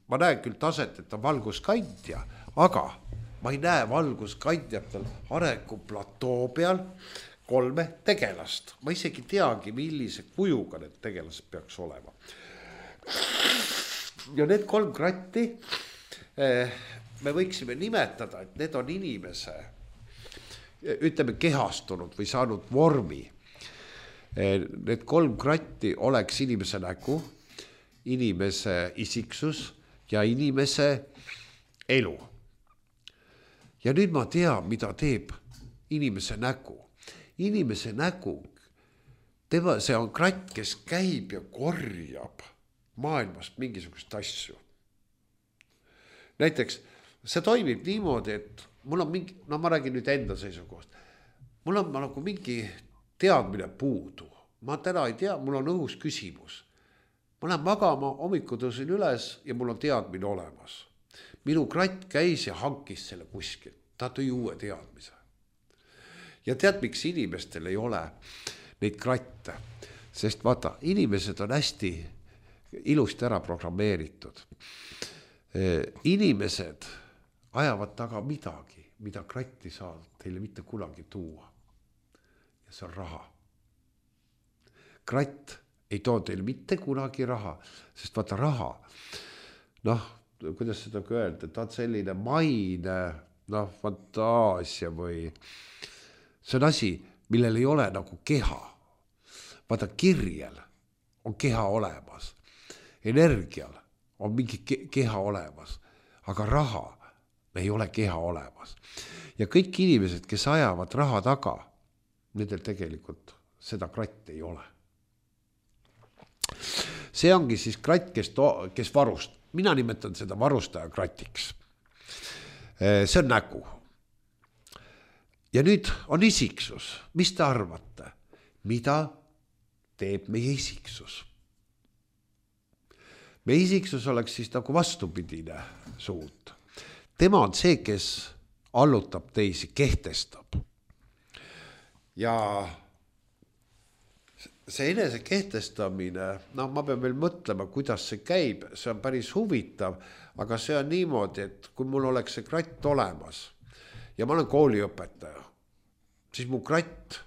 ma näen küll taset, et on valguskandja, aga ma ei näe valguskandjatel arenguplatoo peal kolme tegelast. Ma isegi teagi, millise kujuga need tegelased peaks olema. Ja need kolm kratti me võiksime nimetada, et need on inimese, ütleme kehastunud või saanud vormi. Need kolm kratti oleks inimese nägu, inimese isiksus ja inimese elu. Ja nüüd ma tean, mida teeb inimese nägu. Inimese nägu, tema, see on kratt, kes käib ja korjab maailmast mingisugust asju. Näiteks, see toimib niimoodi, et mul on mingi, no ma räägin nüüd enda seisukohast, mul on nagu mingi teadmine puudu. Ma täna ei tea, mul on õhus küsimus. Ma lähen magama, hommiku tõusin üles ja mul on teadmine olemas. Minu kratt käis ja hankis selle kuskil. Ta tõi uue teadmise. Ja tead, miks inimestel ei ole neid kratte? Sest vaata, inimesed on hästi ilusti ära programmeeritud. Inimesed ajavad taga midagi, mida kratti saab teile mitte kunagi tuua. Ja see on raha. Kratt ei too teil mitte kunagi raha, sest vaata raha, noh, kuidas seda öelda, ta on selline maine, noh, fantaasia või see on asi, millel ei ole nagu keha. Vaata kirjel on keha olemas, energial on mingi keha olemas, aga raha ei ole keha olemas. Ja kõik inimesed, kes ajavad raha taga, nendel tegelikult seda kratt ei ole. See ongi siis kratt, kes, to, kes varust. Mina nimetan seda varustaja kratiks. See on nägu. Ja nüüd on isiksus. Mis te arvate? Mida teeb meie isiksus? Meie isiksus oleks siis nagu vastupidine suund. Tema on see, kes allutab teisi, kehtestab. Ja see enese kehtestamine, no ma pean veel mõtlema, kuidas see käib, see on päris huvitav, aga see on niimoodi, et kui mul oleks see kratt olemas ja ma olen kooliõpetaja, siis mu kratt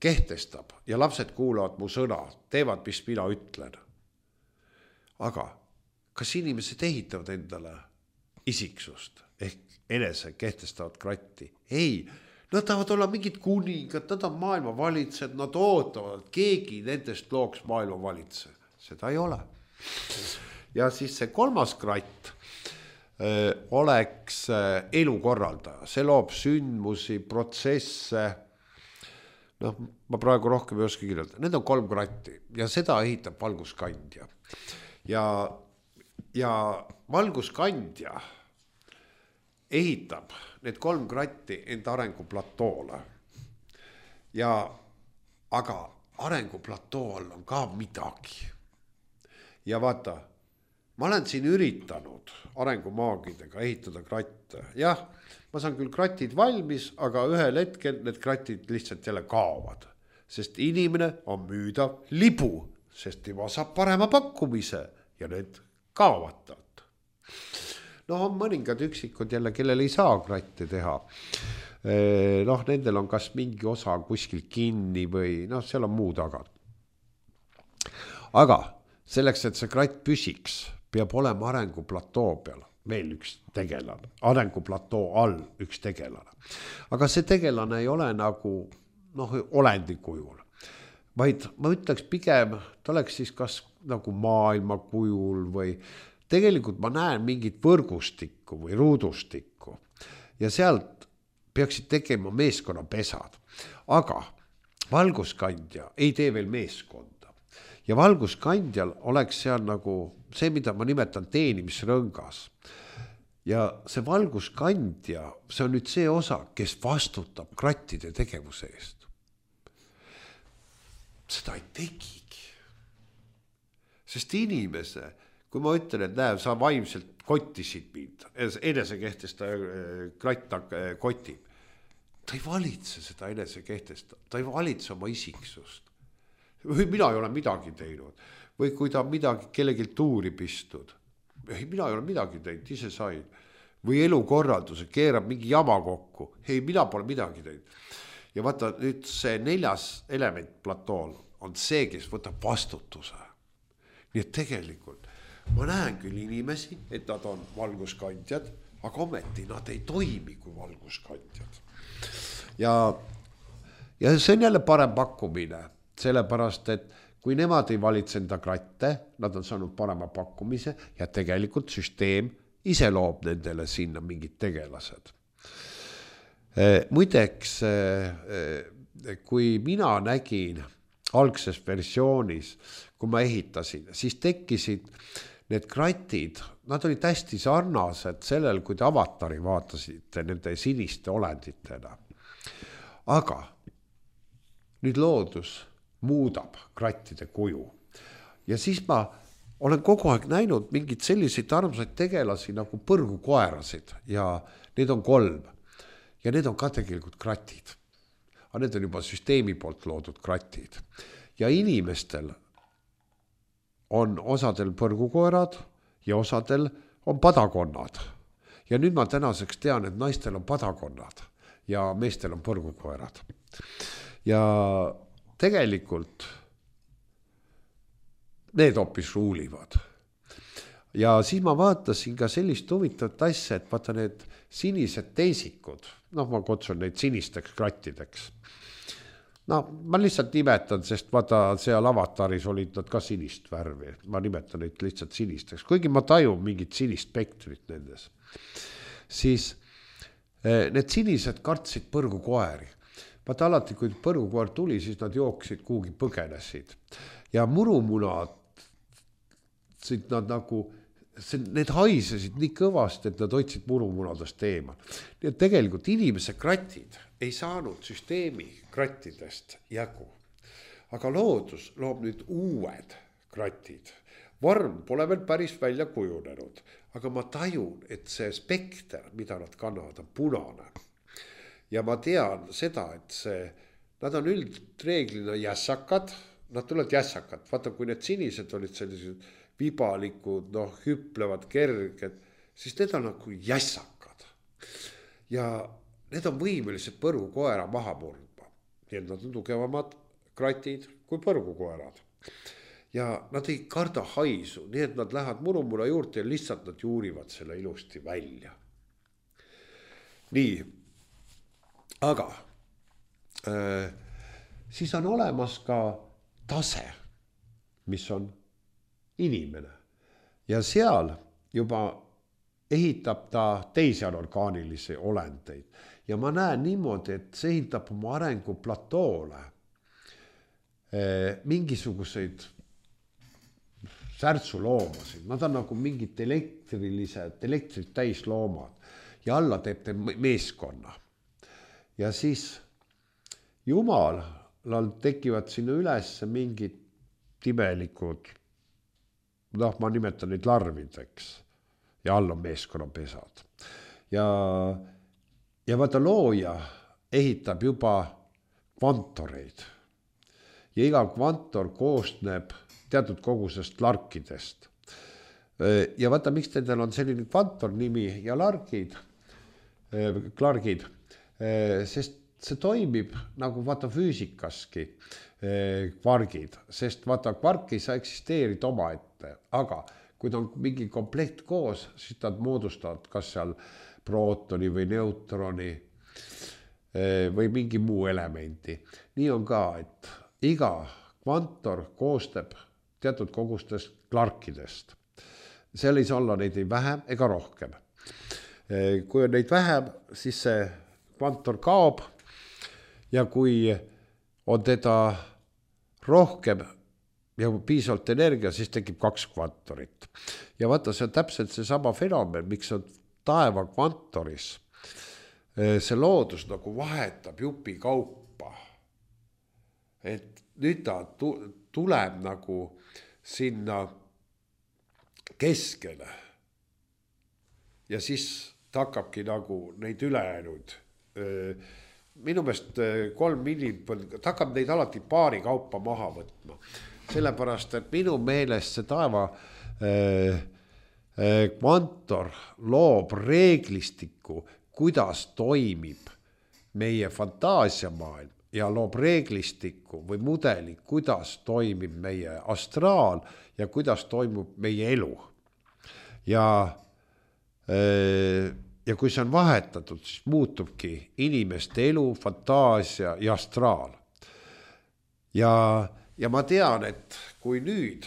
kehtestab ja lapsed kuulavad mu sõna, teevad, mis mina ütlen. Aga kas inimesed ehitavad endale isiksust ehk enese kehtestavad kratti? Ei. Nad tahavad olla mingid kuningad, nad on maailma valitsejad, nad ootavad, et keegi nendest looks maailma valitse. Seda ei ole. Ja siis see kolmas kratt öö, oleks öö, elukorraldaja. See loob sündmusi, protsesse. noh, ma praegu rohkem ei oska kirjeldada, need on kolm kratti ja seda ehitab valguskandja. Ja, ja valguskandja ehitab need kolm kratti enda arenguplatoole. Ja, aga arenguplatool on ka midagi. ja vaata, ma olen siin üritanud arengumaagidega ehitada kratte. Jah, ma saan küll kratid valmis, aga ühel hetkel need kratid lihtsalt jälle kaovad. Sest inimene on müüdav libu, sest tema saab parema pakkumise ja need kaovad talt. No on mõningad üksikud jälle, kellel ei saa kratte teha. Noh, nendel on kas mingi osa kuskil kinni või noh, seal on muu taga. Aga selleks, et see kratt püsiks, peab olema arenguplatoo peal veel üks tegelane, arenguplatoo all üks tegelane. Aga see tegelane ei ole nagu noh, olendi kujul, vaid ma ütleks pigem, ta oleks siis kas nagu maailma kujul või tegelikult ma näen mingit võrgustikku või ruudustikku ja sealt peaksid tegema meeskonnapesad. Aga valguskandja ei tee veel meeskonda. Ja valguskandjal oleks seal nagu see, mida ma nimetan teenimisrõngas. Ja see valguskandja, see on nüüd see osa, kes vastutab krattide tegevuse eest. Seda ei tegigi. Sest inimese, kui ma ütlen, et näe, sa vaimselt kottisid mind, enesekehtesta kratt kotib, ta ei valitse seda enesekehtesta, ta ei valitse oma isiksust. Või mina ei ole midagi teinud. Või kui ta midagi kellegi tuuri pistud. Ei, mina ei ole midagi teinud, ise sain. Või elukorralduse, keerab mingi jama kokku. Ei, mina pole midagi teinud. Ja vaata, nüüd see neljas element platool on see, kes võtab vastutuse. Nii et tegelikult ma näen küll inimesi, et nad on valguskandjad, aga ometi nad ei toimi kui valguskandjad. Ja, ja see on jälle parem pakkumine. Sellepärast, et kui nemad ei valitse enda kratte, nad on saanud parema pakkumise ja tegelikult süsteem ise loob nendele sinna mingid tegelased. Muideks, kui mina nägin algses versioonis, kui ma ehitasin, siis tekkisid need kratid, nad olid hästi sarnased sellel, kui te avatari vaatasite nende siniste olenditena. Aga nüüd loodus muudab krattide kuju. Ja siis ma olen kogu aeg näinud mingid selliseid armsaid tegelasi nagu põrgukoerasid ja need on kolm. Ja need on ka tegelikult kratid. Aga need on juba süsteemi poolt loodud kratid. Ja inimestel on osadel põrgukoerad ja osadel on padakonnad. Ja nüüd ma tänaseks tean, et naistel on padakonnad ja meestel on põrgukoerad. Ja tegelikult need hoopis ruulivad. Ja siis ma vaatasin ka sellist huvitavat asja, et vaata need sinised teisikud, noh ma kutsun neid sinisteks krattideks. No ma lihtsalt nimetan, sest vaata seal avataris olid nad ka sinist värvi, ma nimetan neid lihtsalt sinisteks, kuigi ma tajun mingit sinist spektrit nendes. Siis need sinised kartsid põrgukoeri. Vaata alati, kui põrgukoer tuli, siis nad jooksid kuhugi põgenesid. Ja murumunad, nad nagu, need haisesid nii kõvasti, et nad hoidsid murumunadest eemal. Nii et tegelikult inimese kratid ei saanud süsteemi krattidest jagu. Aga loodus loob nüüd uued kratid. Vorm pole veel päris välja kujunenud, aga ma tajun, et see spekter, mida nad kannavad, on punane. Ja ma tean seda, et see, nad on üldreeglina jässakad, nad tulevad jässakad. Vaata, kui need sinised olid sellised vibalikud, noh, hüplevad kerged, siis need on nagu jässakad. Ja need on võimelised põrgukoera maha murdma. Nii et nad on tugevamad kratid kui põrgukoerad. Ja nad ei karda haisu, nii et nad lähevad murumura juurde ja lihtsalt nad juurivad selle ilusti välja. Nii. Aga äh, siis on olemas ka tase, mis on inimene. Ja seal juba ehitab ta teisi anorgaanilisi olendeid. Ja ma näen niimoodi, et see ehitab oma arengu platoole äh, mingisuguseid särtsuloomasid. Nad on nagu mingid elektrilised, elektrit täis loomad. Ja alla teeb te meeskonna. Ja siis Jumalal tekivad sinna üles mingid timelikud noh, ma nimetan neid larvideks ja all on meeskonnapesad. Ja, ja vaata looja ehitab juba kvantoreid ja iga kvantor koosneb teatud kogusest larkidest. Ja vaata, miks nendel on selline kvantor nimi ja largid, klargid, sest see toimib nagu vaata füüsikaski kvargid, sest vaata kvark ei saa eksisteerida omaette, aga kui ta on mingi komplekt koos, siis nad moodustavad kas seal prootoni või neutroni või mingi muu elementi. Nii on ka, et iga kvantor koostab teatud kogustest klarkidest. Seal ei saa olla neid ei vähem ega rohkem. Kui on neid vähem, siis see kvantor kaob ja kui on teda rohkem ja piisavalt energia, siis tekib kaks kvantorit. Ja vaata, see on täpselt see sama fenomen, miks on taeva kvantoris. See loodus nagu vahetab jupi kaupa. Et nüüd ta tuleb nagu sinna keskele. Ja siis ta hakkabki nagu neid ülejäänud. Minu meelest kolm inimpõld, ta hakkab neid alati paari kaupa maha võtma. Sellepärast, et minu meelest see taeva kvantor loob reeglistiku, kuidas toimib meie fantaasiamaailm ja loob reeglistiku või mudeli, kuidas toimib meie astraal ja kuidas toimub meie elu. Ja, ja kui see on vahetatud, siis muutubki inimeste elu, fantaasia ja astraal. Ja, ja ma tean, et kui nüüd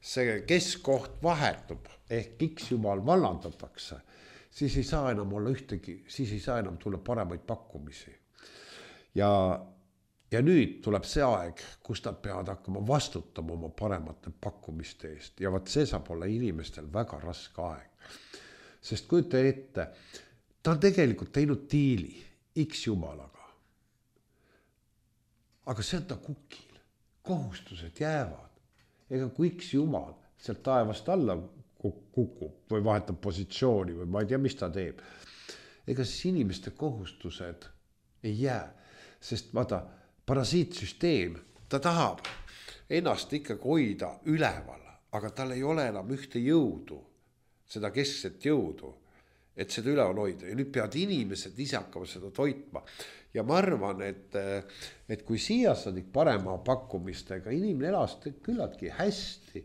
see keskkoht vahetub, ehk X jumal vallandatakse, siis ei saa enam olla ühtegi, siis ei saa enam tulla paremaid pakkumisi. Ja, ja nüüd tuleb see aeg, kus nad peavad hakkama vastutama oma paremate pakkumiste eest. Ja vaat see saab olla inimestel väga raske aeg. Sest kujuta ette, ta on tegelikult teinud diili X jumalaga. Aga see on ta kukil. Kohustused jäävad. Ega kui X jumal sealt taevast alla kukub või vahetab positsiooni või ma ei tea, mis ta teeb. Ega siis inimeste kohustused ei jää, sest vaata, parasiitsüsteem, ta tahab ennast ikkagi hoida üleval, aga tal ei ole enam ühte jõudu, seda keskset jõudu, et seda üleval hoida. Ja nüüd peavad inimesed ise hakkama seda toitma. Ja ma arvan, et, et kui siia sadik parema pakkumistega, inimene elas küllaltki hästi,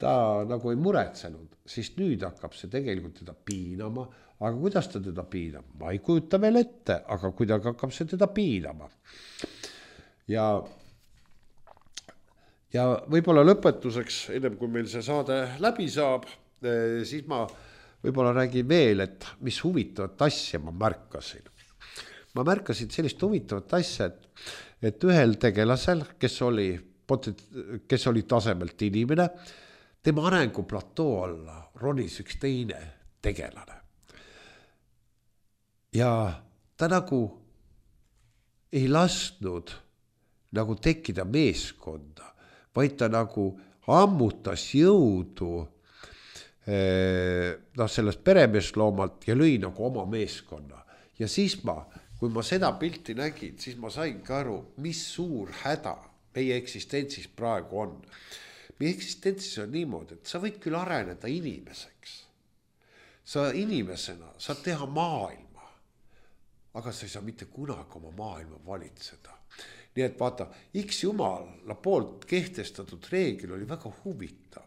ta nagu ei muretsenud, siis nüüd hakkab see tegelikult teda piinama, aga kuidas ta teda piinab? Ma ei kujuta veel ette, aga kuidagi hakkab see teda piinama. Ja, ja võib-olla lõpetuseks, ennem kui meil see saade läbi saab, siis ma võib-olla räägin veel, et mis huvitavat asja ma märkasin. Ma märkasin sellist huvitavat asja, et, et ühel tegelasel, kes oli, kes oli tasemelt inimene, tema arenguplatoo alla ronis üks teine tegelane. Ja ta nagu ei lasknud nagu tekkida meeskonda, vaid ta nagu ammutas jõudu no, sellest peremeesloomalt ja lõi nagu oma meeskonna. Ja siis ma, kui ma seda pilti nägin, siis ma sain ka aru, mis suur häda meie eksistentsis praegu on. Meie eksistentsis on niimoodi, et sa võid küll areneda inimeseks. Sa inimesena saad teha maailma, aga sa ei saa mitte kunagi oma maailma valitseda. Nii et vaata, X jumala poolt kehtestatud reegel oli väga huvitav.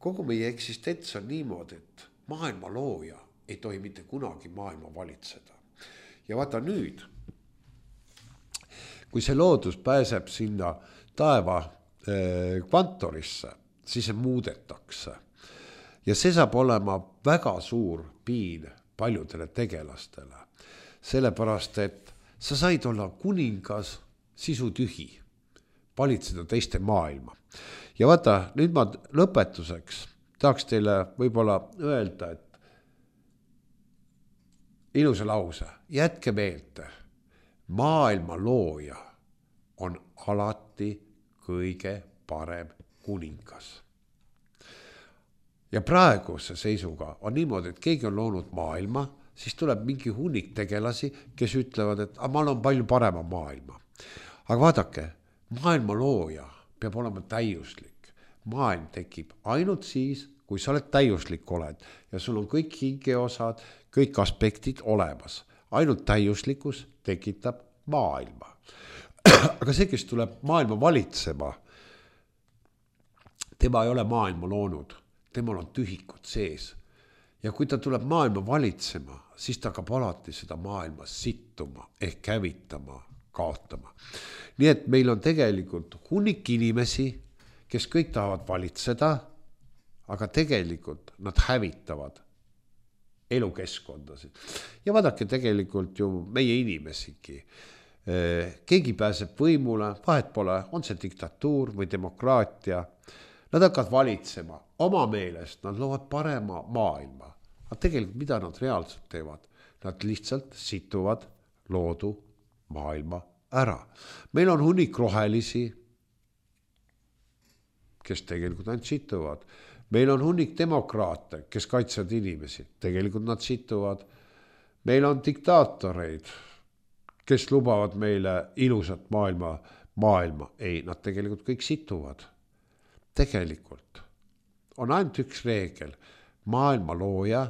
Kogu meie eksistents on niimoodi, et maailma looja ei tohi mitte kunagi maailma valitseda. Ja vaata nüüd, kui see loodus pääseb sinna taeva kvantorisse, siis see muudetakse. Ja see saab olema väga suur piin paljudele tegelastele. Sellepärast, et sa said olla kuningas sisutühi, valitseda teiste maailma. Ja vaata, nüüd ma lõpetuseks tahaks teile võib-olla öelda, et ilusa lause, jätke meelde, maailma looja on alati kõige parem kuningas. ja praeguse seisuga on niimoodi, et keegi on loonud maailma, siis tuleb mingi hunnik tegelasi, kes ütlevad, et ma olen palju parema maailma. Aga vaadake, maailma looja peab olema täiuslik. Maailm tekib ainult siis, kui sa oled täiuslik oled ja sul on kõik hingeosad, kõik aspektid olemas. Ainult täiuslikkus tekitab maailma. Aga see, kes tuleb maailma valitsema, tema ei ole maailma loonud, temal on tühikud sees. Ja kui ta tuleb maailma valitsema, siis ta hakkab alati seda maailma sittuma ehk hävitama, kaotama. Nii et meil on tegelikult hunnik inimesi, kes kõik tahavad valitseda, aga tegelikult nad hävitavad elukeskkondasid. Ja vaadake tegelikult ju meie inimesigi. Keegi pääseb võimule, vahet pole, on see diktatuur või demokraatia. Nad hakkavad valitsema oma meelest, nad loovad parema maailma. Aga tegelikult mida nad reaalselt teevad? Nad lihtsalt situvad loodu maailma ära. Meil on hunnik rohelisi, kes tegelikult ainult situvad. Meil on hunnik demokraate, kes kaitsevad inimesi. Tegelikult nad situvad. Meil on diktaatoreid, kes lubavad meile ilusat maailma. maailma. Ei, nad tegelikult kõik situvad. Tegelikult on ainult üks reegel. Maailma looja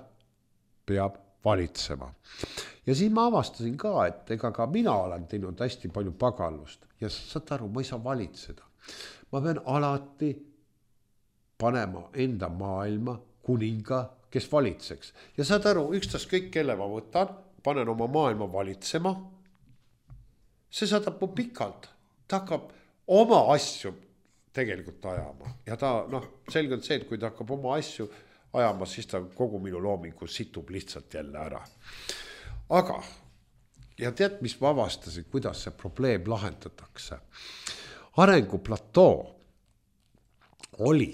peab valitsema. Ja siis ma avastasin ka, et ega ka mina olen teinud hästi palju pagallust. Ja saad aru, ma ei saa valitseda. Ma pean alati panema enda maailma kuninga, kes valitseks. Ja saad aru, ükstas kõik, kelle ma võtan, panen oma maailma valitsema. See saadab mu pikalt. Ta hakkab oma asju tegelikult ajama. Ja ta, noh, selgelt see, et kui ta hakkab oma asju ajama, siis ta kogu minu loomingu situb lihtsalt jälle ära. Aga, ja tead, mis ma avastasin, kuidas see probleem lahendatakse? Arenguplatoo oli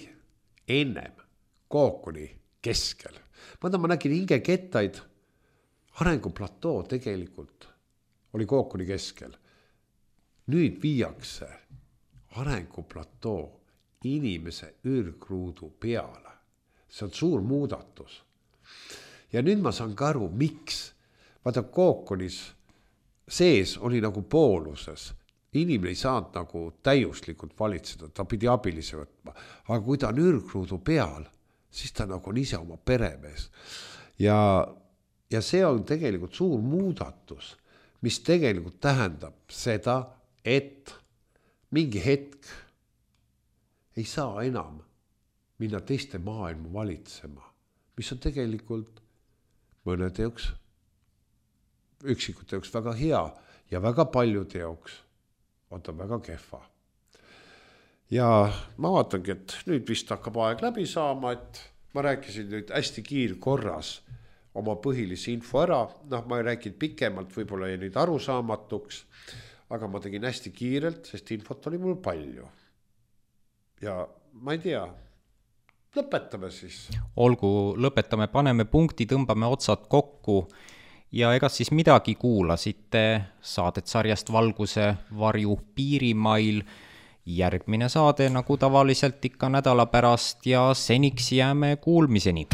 ennem kookoni keskel. Mõnda ma nägin hingekettaid, arenguplatoo tegelikult oli kookoni keskel. Nüüd viiakse arenguplatoo inimese ürgruudu peale. See on suur muudatus. Ja nüüd ma saan ka aru, miks. Vaata, kookonis sees oli nagu pooluses. Inimene ei saanud nagu täiuslikult valitseda, ta pidi abilise võtma. Aga kui ta on ürgruudu peal, siis ta nagu on ise oma peremees. Ja, ja see on tegelikult suur muudatus, mis tegelikult tähendab seda, et mingi hetk ei saa enam minna teiste maailma valitsema, mis on tegelikult mõnede jaoks, üksikute jaoks väga hea ja väga paljude jaoks on ta väga kehva. Ja ma vaatangi, et nüüd vist hakkab aeg läbi saama, et ma rääkisin nüüd hästi kiirkorras oma põhilisi info ära. Noh, ma ei rääkinud pikemalt, võib-olla ei nüüd arusaamatuks, aga ma tegin hästi kiirelt, sest infot oli mul palju. Ja ma ei tea, lõpetame siis. Olgu, lõpetame, paneme punkti, tõmbame otsad kokku. Ja ega siis midagi kuulasite saadet sarjast Valguse varju piirimail. Järgmine saade nagu tavaliselt ikka nädala pärast ja seniks jääme kuulmiseni.